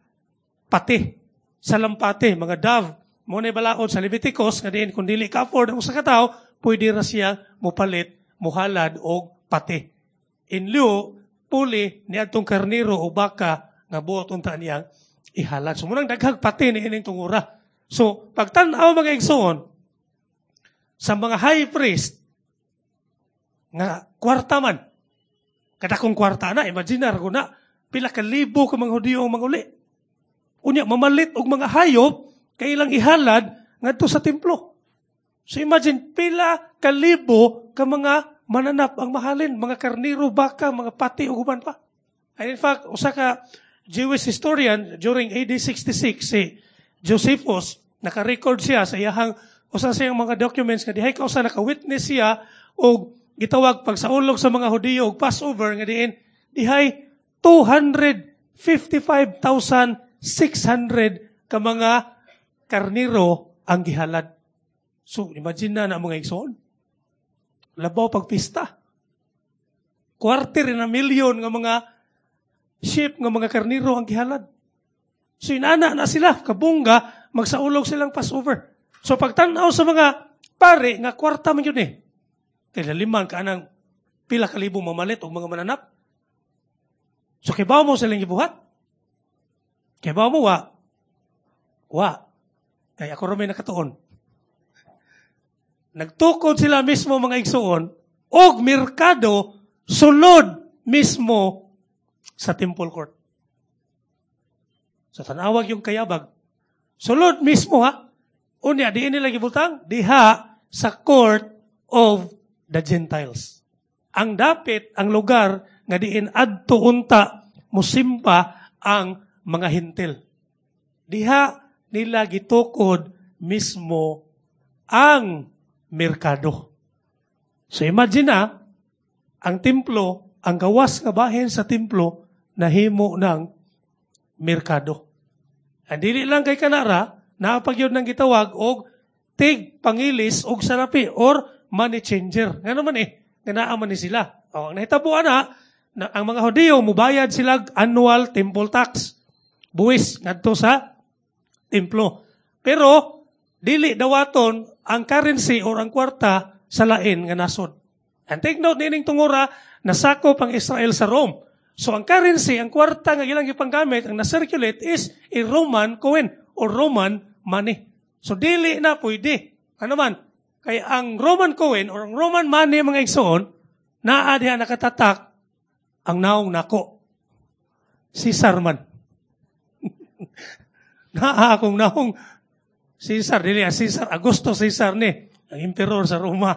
pati, salampati, mga dove. Mo na balaod sa Leviticus nga diin kung dili ka afford ang usa ka tawo, pwede ra siya mupalit, muhalad og pati. In lieu, puli ni adtong karniro o baka nga buot unta niyang ihalad. So munang daghag pati ni ining tungura. So pagtan-aw mga igsoon sa mga high priest nga kwarta man. Kadakong kwarta na, imaginar ko na, pila ka libo ka mga Hudiyo ang manguli. Unya, mamalit og mga hayop, kay ilang ihalad ngadto sa templo. So imagine, pila ka libo ka mga mananap ang mahalin, mga karniro, baka, mga pati, ug uban pa. And in fact, usa ka Jewish historian during AD sixty-six, si Josephus, naka-record siya sa iyahang usa sa iyang mga documents nga dihay ka usa naka-witness siya og gitawag pagsaulog sa mga Hudiyo og Passover nga diin dihay two hundred fifty-five thousand six hundred ka mga karniro ang gihalad. So, imagine na na mga igsoon. Labaw pagpista. Quarter na milyon nga mga sheep nga mga karniro ang gihalad. So inana na sila, kabungga, magsaulog silang Passover. So pagtanaw sa mga pare, nga kwarta man yun eh. Kaya liman ka anang pila ka libo mamalit og mga mananap. So kibaw mo silang gibuhat? Kibaw mo wa? Wa. Kaya ako may nakatuon. Nagtukod sila mismo mga igsuon og merkado sulod mismo sa temple court. Sa tanawag yung kayabag. Sulod mismo ha. Unya, diin nila gibutang? Diha sa court of the Gentiles. Ang dapit, ang lugar nga diin adto unta musimba ang mga Hentil. Diha nila gitukod mismo ang merkado. So imagine na, ang templo, ang gawas nga bahin sa templo, nahimo ng merkado. Ang dili lang kay kanara, napagyod ng gitawag og tig pangilis og salapi or money changer. Nga naman eh, nga naa man ni sila. O, ang nahitabo na, na, ang mga Hudiyo mubayad sila annual temple tax. Buwis ngadto sa templo. Pero dili dawaton ang currency or ang kwarta sa lain nga nasod. And take note nining tungura, nasakop ang Israel sa Rome. So ang currency, ang kwarta nga ilang gipanggamit, ang na-circulate is a Roman coin or Roman money. So dili na pwede. Ano man? Kay ang Roman coin or ang Roman money mga igsoon, naa diha nakatatak ang naong nako. Caesar man. Naa akong naong Caesar, dili ah, Caesar, Augusto Caesar ni, ang emperor sa Roma.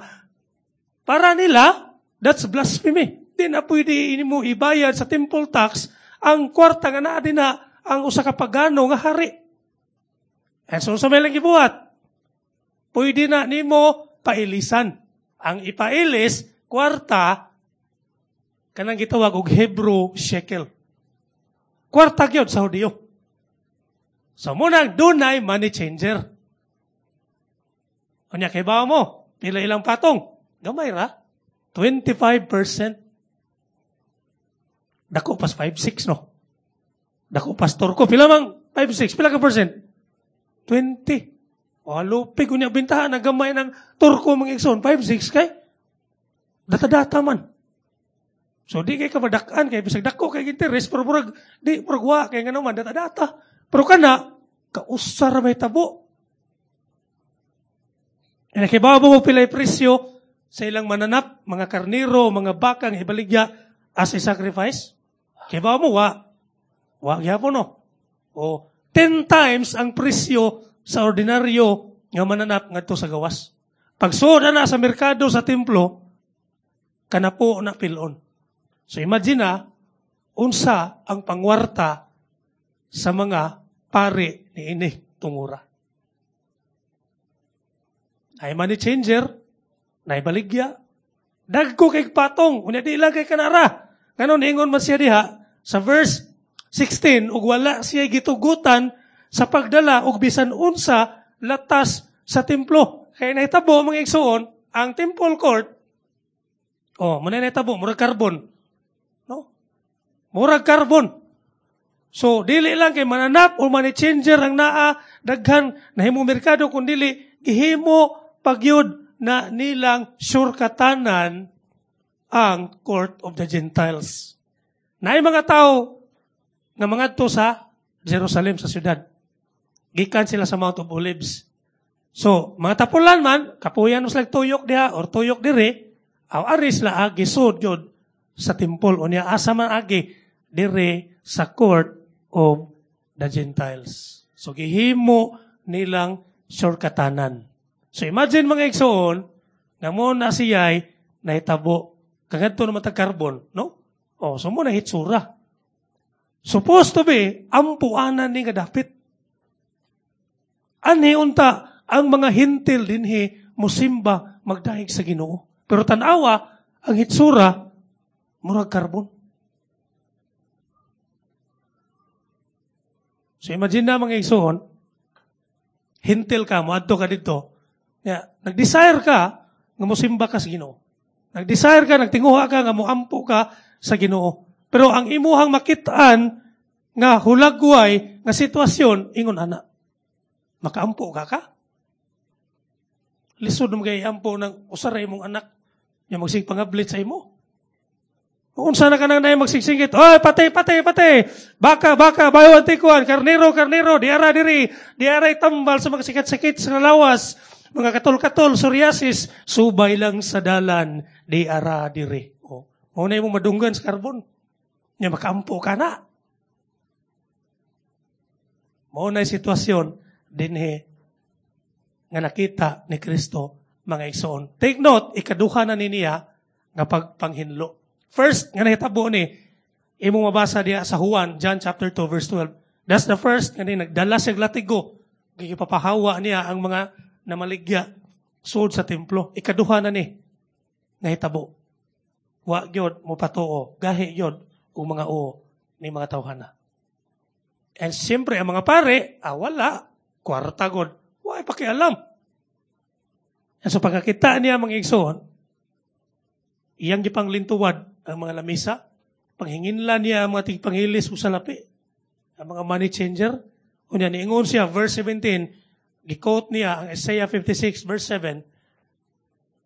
Para nila, that's blasphemy. Di na pwede mo ibayad sa temple tax ang kwarta nga naa din na ang usa ka pagano nga hari. And so sa may lang gibuhat, pwede na nimo pailisan. Ang ipailis, kwarta, kanang gitawag og Hebrew shekel. Kwarta gyud sa Hudiyo. So munang dunay money changer. Unya kay ba mo, pila ilang patong? Gamay ra. twenty-five percent. Dako pas five six no. Dako pastor ko pila mang five six pila ka percent? twenty. O lupig unya bintahan na gamay ng Turko mga igsoon five six kay data-data man. So di kay kabadak-an kay bisag dako kay interest pero murag di murag wa kay ngano man data-data. Pero kana kausar may tabo. E nakibaw mo pilay presyo sa ilang mananap, mga karniro, mga bakang ibaligya as a sacrifice? Kibaw mo, wa. Wa gyapon no. O ten times ang presyo sa ordinaryo nga mananap ngadto sa gawas. Pagsuod na sa merkado sa templo, kanapo na pilon. So imagine na, unsa ang pangwarta sa mga pari ni ini tungura. Ay money changer, nay baligya, dagko kay patong, unya di lang kay kanara. Nganon ingon man siya diha sa verse sixteen, ug wala siya gitugutan sa pagdala og bisan unsa latas sa templo. Kay nahitabo, mga igsuon, ang temple court, oh, muna nahitabo, murag carbon. No? Murag carbon. So, dili lang kay mananap o money changer ang naa, daghan, nahimo merkado, kung dili, gihimo pagyud na nilang surkatanan ang court of the Gentiles. Naay mga tao nga mangadto sa Jerusalem, sa syudad. Gikan sila sa Mount of Olives. So, mga tapulan man, kapuyan mo sila tuyok diha or tuyok dire, aw ari sila agi sud yun sa temple. Unya asa man agi dire sa court of the Gentiles. So, gihimo nilang surkatanan. So, imagine, mga igsoon, nga mo na siya'y nahitabo. Kagadto naman tag carbon, no? O, so mo na hitsura. Supposed to be, ampuanan ni nga dapit. Anhi unta, ang mga hintil dinhi musimba magdahig sa Ginoo. Pero tanawa, ang hitsura, murag carbon. So imagine na, mga igsoon, hintil ka, moadto ka dito, ya, nag-desire ka nga musimba ka sa Ginoo. Nag-desire ka, nagtinguha ka nga moampo ka sa Ginoo. Pero ang imuhang makitaan nga hulagway nga sitwasyon, ingon ana. Makaampo ka ka? Lisod mo kay ampo ng usara imong anak nga magsigpangablit sa imo. Unsa na ka nang nay magsigsingit, oy, patay, patay, patay. Baka, baka, bayo antikuan, karnero, karnero, diara diri, diara tambal sa mga sakit-sakit sa lawas, mga katol-katol, psoriasis, subay lang sa dalan, diara diri. O, mao na imong madunggan sa karbon. Nya makaampo ka na. Mao na sitwasyon dinhi nga nakita ni Kristo, mga igsoon. Take note, ikaduha na ni niya nga pagpanghinlo. First, nga nahitabo ni, imong mabasa diya sa Juan, John chapter two, verse twelve. That's the first, nga ni, nagdala siya latigo. Gipapahawa niya ang mga namaligya sud sa templo. Ikaduha na ni, nahitabo. Wa gyud mo patuo, gahi gyud og mga uo ni mga tawhana. And siyempre, ang mga pare, ah, wala, kwarta god, wa pakialam. And so pagkakita niya, mga igsoon, iyang gipanglintuwad ang mga lamisa, panghinginla niya ang mga tigpanghilis o salapi, ang mga money changer. Unya, niingon siya, verse seventeen, gi-quote niya ang Isaiah fifty-six, verse seven,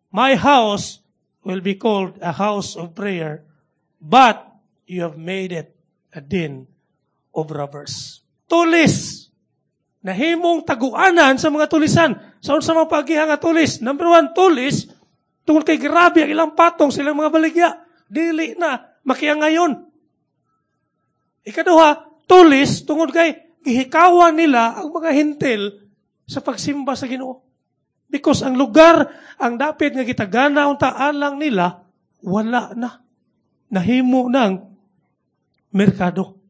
"My house will be called a house of prayer, but you have made it a den of robbers." Tulis! Nahimong taguanan sa mga tulisan. Sa unsa mga pagiha nga tulis? Number one, tulis, tungod kay grabe ang ilang patong silang mga baligya. Dili na, makiangayon. Ikaduha, tulis, tungod kay gihikawan nila ang mga hintil sa pagsimba sa Ginoo. Because ang lugar, ang dapit nga gitagana unta alang nila, wala na. Nahimo ng merkado.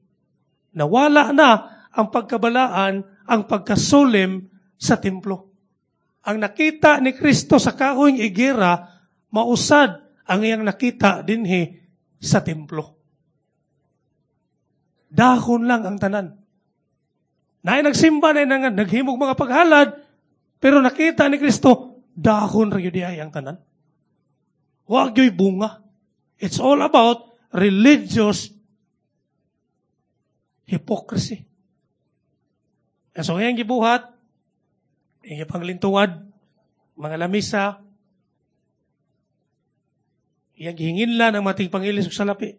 Nawala na ang pagkabalaan, ang pagkasulim sa templo. Ang nakita ni Kristo sa kahoy igera, mausad ang iyang nakita dinhi sa templo. Dahon lang ang tanan. Naay nagsimba, naay naghimog mga paghalad, pero nakita ni Kristo, dahon ra gyud ay ang tanan. Wa gyud bunga. It's all about religious hypocrisy. And so ngayon gibuhat, iyang panglintuwad, mga lamisa, iyang gihinginlan ang mating pangilis ug salapi.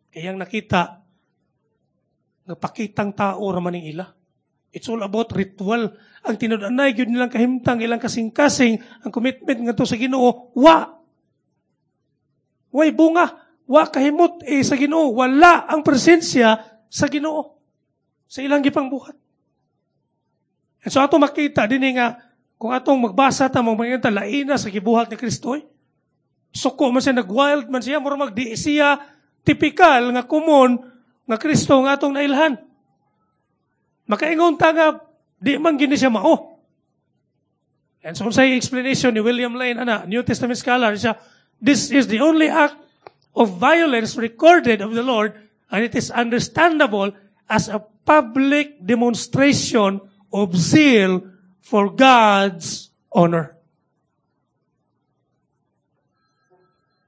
Kayang nakita, nga pakitang tao ra man ning ila. It's all about ritual. Ang tinud-anay gyud nilang kahimtang, ilang kasing-kasing, ang commitment ngadto sa Ginoo, wa. Way bunga, wa kahimot eh, sa Ginoo, wala ang presensya sa Ginoo sa ilang gipangbuhat. And so ato makita dinhi nga Kung atong magbasa ta mo mga laina sa gibuhat ni Kristo, eh. Suko man siya, nag-wild man siya, mura magdi siya tipikal nga common nga Kristo nga atong nailhan. Makaingon ta nga di man gini siya mao. And so unsay explanation ni William Lane ana, New Testament scholar, siya, this is the only act of violence recorded of the Lord, and it is understandable as a public demonstration of zeal for God's honor.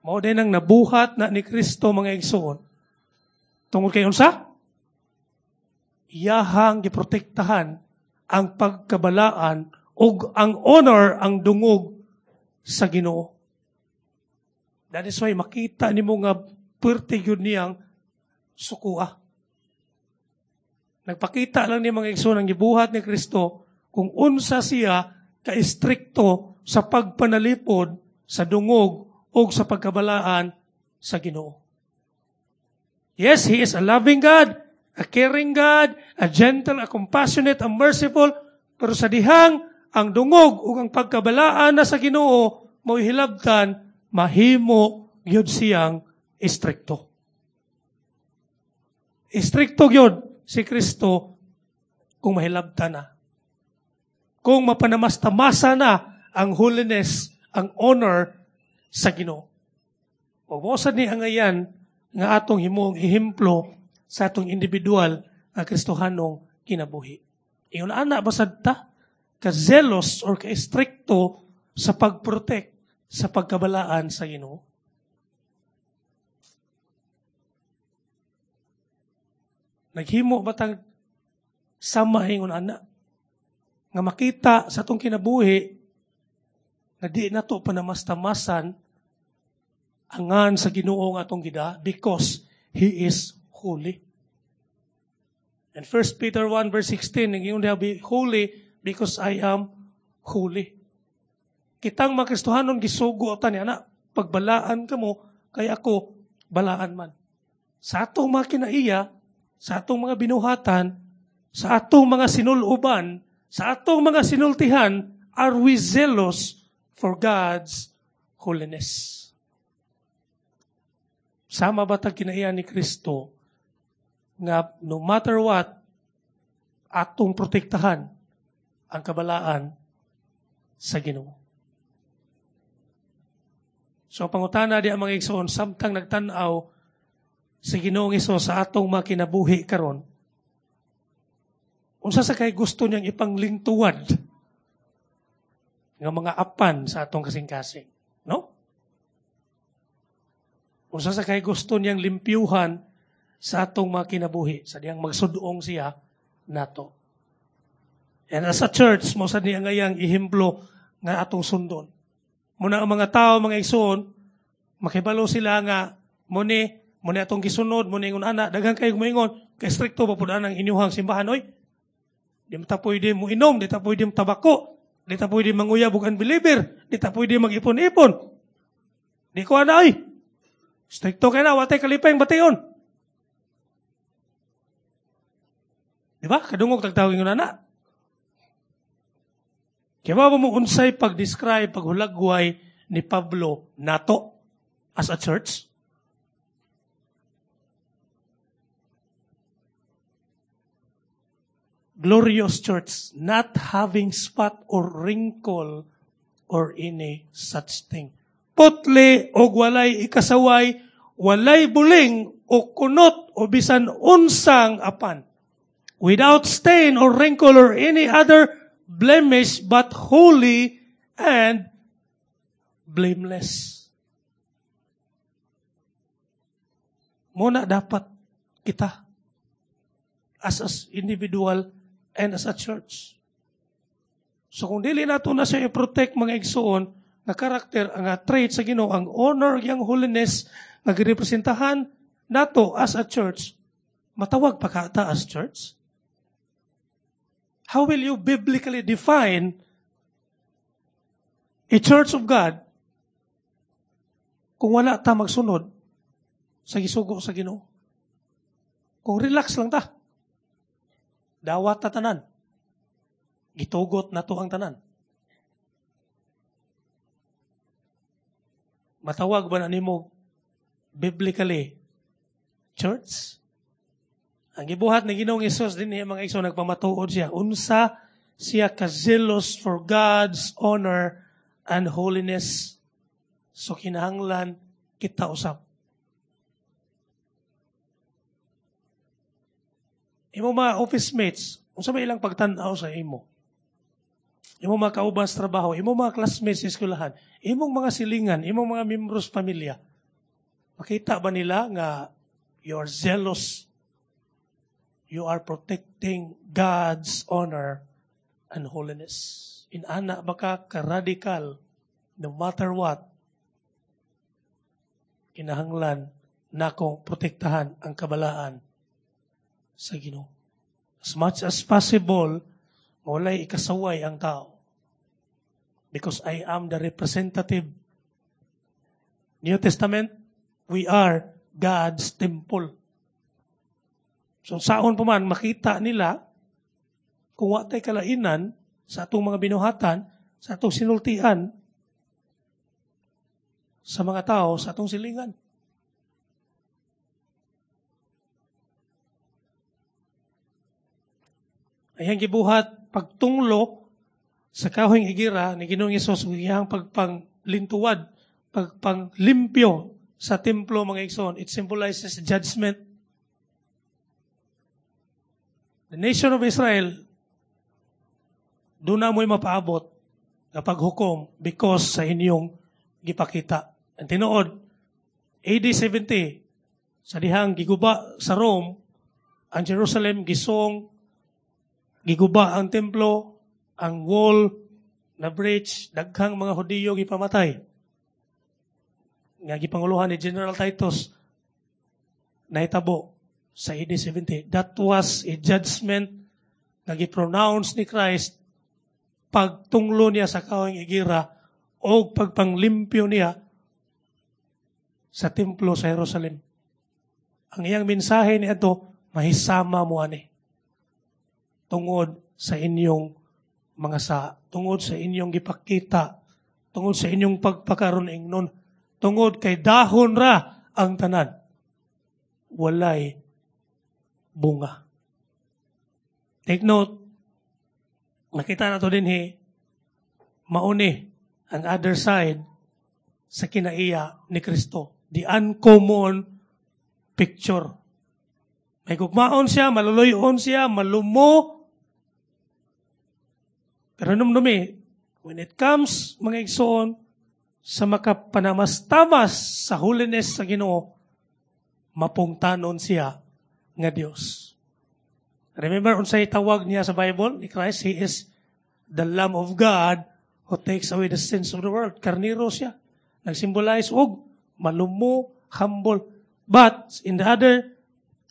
Mao din ang nabuhat na ni Kristo mga igsoon. Tungod kay unsa? Iyahang giprotektahan ang pagkabalaan ug ang honor ang dungog sa Ginoo. That is why makita nimo nga puwerte gyud niyang sukua. Nagpakita lang ni mga igsoon ang gibuhat ni Kristo kung unsa siya ka-istrikto sa pagpanalipod sa dungog o sa pagkabalaan sa Ginoo. Yes, He is a loving God, a caring God, a gentle, a compassionate, a merciful, pero sa dihang ang dungog ug ang pagkabalaan na sa Ginoo mo'y hilabtan, mahimo gyud siyang istrikto. Istrikto gyud si Kristo kung mahilabtan na. Kung mapanamasta-masa na ang holiness, ang honor sa Ginoo. Ug mao sad ni angayan nga atong himong ehemplo sa atong individual nga Kristohanong kinabuhi. Ingon ana basad ta ka-zealous or ka-stricto sa pag-protect sa pagkabalaan sa Ginoo. Naghimo ba tang sama ingon ana nga makita sa atong kinabuhi na di na to panamastamasan angan sa Ginoo nga atong gida because He is holy. And First Peter one verse sixteen, ingon niya, be holy because I am holy. Kitang mga Kristohanon gisugo ta ni ana, pagbalaan kamo kay ako balaan man. Sa atong mga kinaiya, sa atong mga binuhatan, sa atong mga sinuluban, sa atong mga sinultihan, are we zealous for God's holiness? Sama ba tag kinaiya ni Kristo nga no matter what, atong protektahan ang kabalaan sa Ginoo? So pangutana di ang mga igsoon, samtang nagtan-aw sa Ginoong Hesus sa atong mga kinabuhi karon, unsa sa kay gusto niyang ipanglingtuwad nga mga apan sa atong kasing-kasing, no? Unsa sa kay gusto niyang limpyuhan sa atong mga kinabuhi, sa diyang magsudong siya nato. And as a church, mo sa niya ngayang ehemplo nga atong sundon. Muna ang mga tao, mga igsoon, makibalo sila nga muni, muni atong gisunod, muni ingon ana, daghan kayo moingon, kay strikto ba pud anang inyuhang simbahan oy? Di ta pwede mo inom, di ta pwede mo tabako, di ta pwede manguyab og unbeliever, di ta pwede mag-ipon-ipon. Di ko ana oy. Strikto kay na, watay kalipay ang bation. Di ba? Kadungog tagtawag ingon ana. Kaya ba mo unsay pag-describe, paghulagway ni Pablo nato as a church? Glorious church, not having spot or wrinkle or any such thing. Putli og walay ikasaway, walay buling o kunot o bisan unsang apan. Without stain or wrinkle or any other blemish, but holy and blameless. Muna dapat kita as as individual and as a church. So kung dili nato na siya i-protect mga igsoon nga karakter, ang trait sa Ginoo, ang honor, ang holiness nga girepresentahan nato as a church, matawag pa ka ta as church? How will you biblically define a church of God kung wala ta magsunod sa gisugo sa Ginoo? Kung relax lang ta, dawat ta tanan, gitugot na to ang tanan. Matawag ba na nimo biblically church? Ang gibuhat ni Ginoong Hesus dinhi mga igsoon nagpamatuod siya unsa siya ka-zealous for God's honor and holiness. So kinahanglan kita usab. Imo mga office mates, unsa may ilang pagtan-aw sa imo? Imo mga kauban sa trabaho, imo mga classmates sa eskwelahan, imong mga silingan, imong mga membros pamilya. Makita ba nila nga you are zealous? You are protecting God's honor and holiness. Inana ba ka ka-radical no matter what? Kinahanglan nako protektahan ang kabalaan sa Ginoo. As much as possible, walay ikasaway ang tao. Because I am the representative. New Testament, we are God's temple. So saon pa man, makita nila kung wa tay kalainan sa atong mga binuhatan, sa atong sinultian, sa mga tao, sa atong silingan. Ayang gibuhat pagtunglo sa kahoy higera ni Ginoong Hesus ug iyang pagpanglintuwad, pagpanglimpyo sa templo mga igsoon. It symbolizes judgment. The nation of Israel, doon na mo'y mapaabot na paghukom because sa inyong gipakita. Ang tinuod, A D seventy, sa dihang giguba sa Rome, ang Jerusalem gisong, giguba ang templo, ang wall na breach, daghang mga Hudiyo gipamatay. Nga gipanguluhan ni General Titus, nahitabo sa A D seventy. That was a judgment na gipronounce ni Christ pagtunglo niya sa kahoy higera o pagpanglimpyo niya sa templo sa Jerusalem. Ang iyang mensahe niadto, mahisama mo ani tungod sa inyong mga sa, tungod sa inyong gipakita, tungod sa inyong pagpakaron ingnon, tungod kay dahon ra ang tanan, walay bunga. Take note, nakita na to dinhi, mauni ang other side sa kinaiya ni Kristo. The uncommon picture. May gugmaon siya, maluloyon siya, malumo. Pero numnumi, when it comes, mga igsoon, sa makapanamastamas sa holiness sa Ginoo, mapungtanon siya nga Dios. Remember, unsay tawag niya sa Bible ni Christ, He is the Lamb of God who takes away the sins of the world. Karniro siya. Nagsymbolize og malumo, humble. But in the other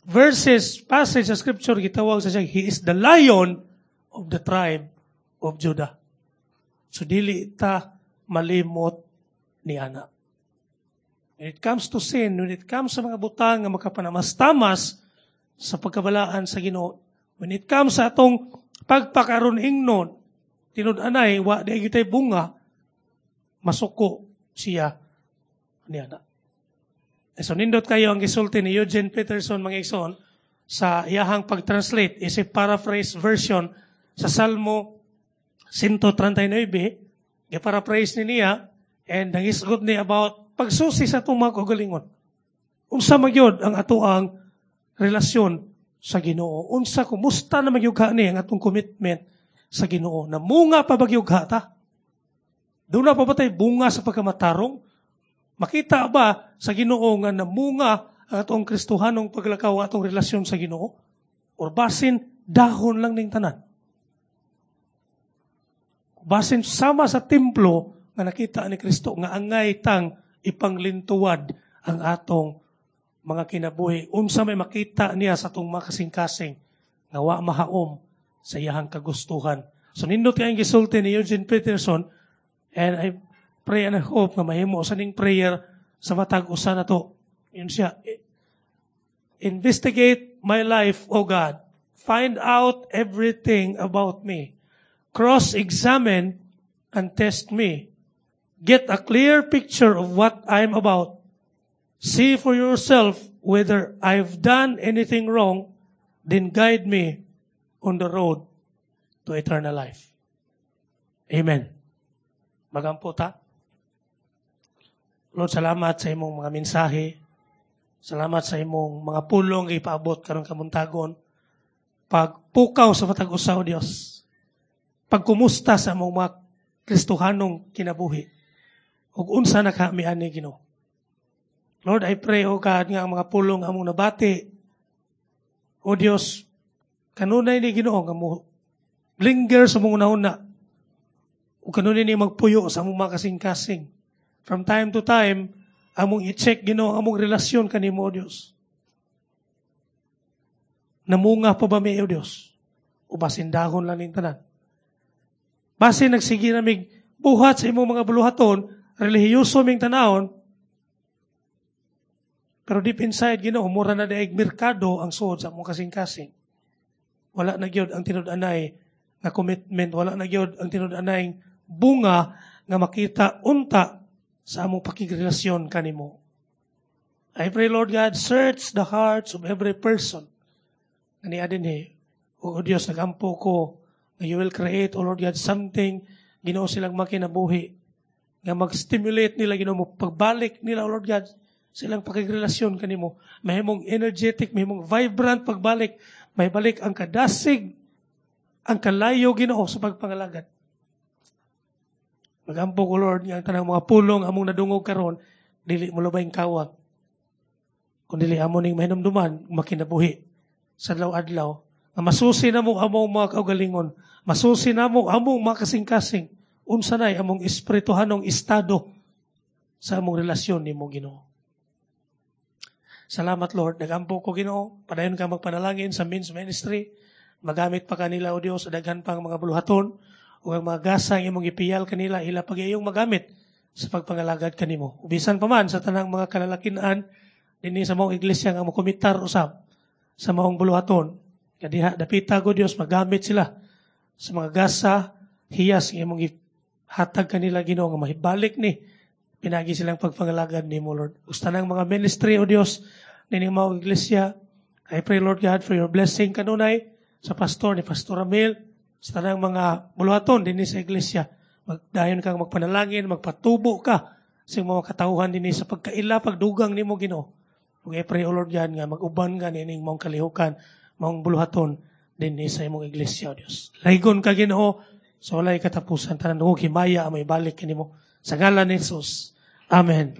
verses, passage sa scripture, gitawag sa siya, He is the Lion of the tribe of Judah. So dili ta malimot ni ana. When it comes to sin, when it comes sa mga butang nga makapanamastamas sa pagkabalaan sa Ginoo, when it comes sa atong pagpakaron ingnon, tinud-anay, wa di gyud tay bunga, masuko siya ni ana. So nindot kayo ang gisulti ni Eugene Peterson mga igsoon sa iyahang pag-translate is a paraphrase version sa Salmo one thirty-nine, gi-paraphrase ni niya and nangisgot ni about pagsusi sa atong mga kaugalingon. Unsa magyud ang atoang relasyon sa Ginoo? Unsa kumusta na magyugha ni ang atong commitment sa Ginoo? Namunga pa bagyugha ta? Doon na pa ba tayo bunga sa pagkamatarong? Makita ba sa Ginoo nga namunga ang atong Kristohanong paglakaw, ang atong relasyon sa Ginoo? Or basin dahon lang ning tanan? Basin sama sa templo nga nakita ni Kristo nga angay tang ipanglintuwad ang atong mga kinabuhi. Unsa may makita niya sa atong mga kasing-kasing nga wa mahaom sa iyahang kagustuhan. So nindot kayong gisulti ni Eugene Peterson, and I pray and I hope nga mahimo sa ning prayer sa matag usa na to. Yun siya. Investigate my life, O God. Find out everything about me. Cross-examine and test me. Get a clear picture of what I'm about. See for yourself whether I've done anything wrong, then guide me on the road to eternal life. Amen. Magampo ta. Lord, salamat sa imong mga mensahe. Salamat sa imong mga pulong ipaabot karong kabuntagon. Pagpukaw sa matag usa, O Dios. Pagkumusta sa among mga Kristohanong kinabuhi. Ug unsa na kami ani, Ginoo. Lord, I pray, O God, nga ang mga pulong among nabati. O Dios, kanunay ni, Ginoo, nga mo linger sa among una. Ug kanunay ni magpuyo sa among mga kasing-kasing. From time to time, among i-check, Ginoo, ang among relasyon kanimo, O Dios. Namunga pa ba mi, O Dios? O basin dahon lang ning tanan? Basin nagsige na mig buhat sa imong mga buluhaton, relihiyoso ming tanawon, pero deep inside, Ginoo, mura na daig merkado ang suod sa among kasing-kasing. Wala na gyud ang tinud-anay nga commitment, wala na gyud ang tinud-anay bunga nga makita unta sa among pakigrelasyon kanimo. I pray, Lord God, search the hearts of every person nga nia dinhi. O Diyos, nagampo ko nga you will create, O Lord God, something, Ginoo, silang makinabuhi nga mag-stimulate nila, Ginoo mo, pagbalik nila, O Lord God, silang pakigrelasyon kanimo. Mahimong energetic, mahimong vibrant pagbalik, may balik ang kadasig, ang kalayo, Ginoo, sa pagpangalagad. Magampo ko, Lord, nga ang tanang mga pulong among nadungog karon, dili mo lubayng kawat. Kung dili amo ning mahinumduman, makinabuhi sa adlaw-adlaw. Nga masusi namo among mga kaugalingon, masusi namo among mga kasing-kasing, unsa nay among espirituhanong estado sa among relasyon nimo, Ginoo. Salamat, Lord. Nagampo ko, Ginoo. Padayon ka magpanalangin sa men's ministry. Magamit pa kanila, O Dios, sa daghan pang mga buluhaton o ang mga gasang imong ipiyal kanila, ila pag-iyong magamit sa pagpangalagad kanimo. Bisan pa man sa tanang mga kalalakinan dinhi sa maong iglesia nga mokomitar usab sa maong buluhaton. Kadiha dapita ko, Dios, magamit sila sa mga gasa, hiyas nga imong hatag kanila, Ginoo, nga mahibalik ni pinagi silang pagpangalagad nimo, Lord. Ug sa tanang mga ministry, O Dios, nining maong iglesia, I pray, Lord God, for your blessing kanunay sa pastor ni Pastor Ramil, sa tanang mga buluhaton dinhi sa iglesia. Magdayon kang magpanalangin, magpatubo ka sa mga katawhan dinhi sa pagkaila, pagdugang nimo, Ginoo. Ug I pray, O Lord God, nga mag-uban ka nining maong kalihukan, maong buluhaton dinhi sa imong iglesia, O Dios. Laygon ka, Ginoo, sa walay katapusan. Tanan dungog himaya ang may balik kanimo. Sa ngalan ni Jesus. Amen.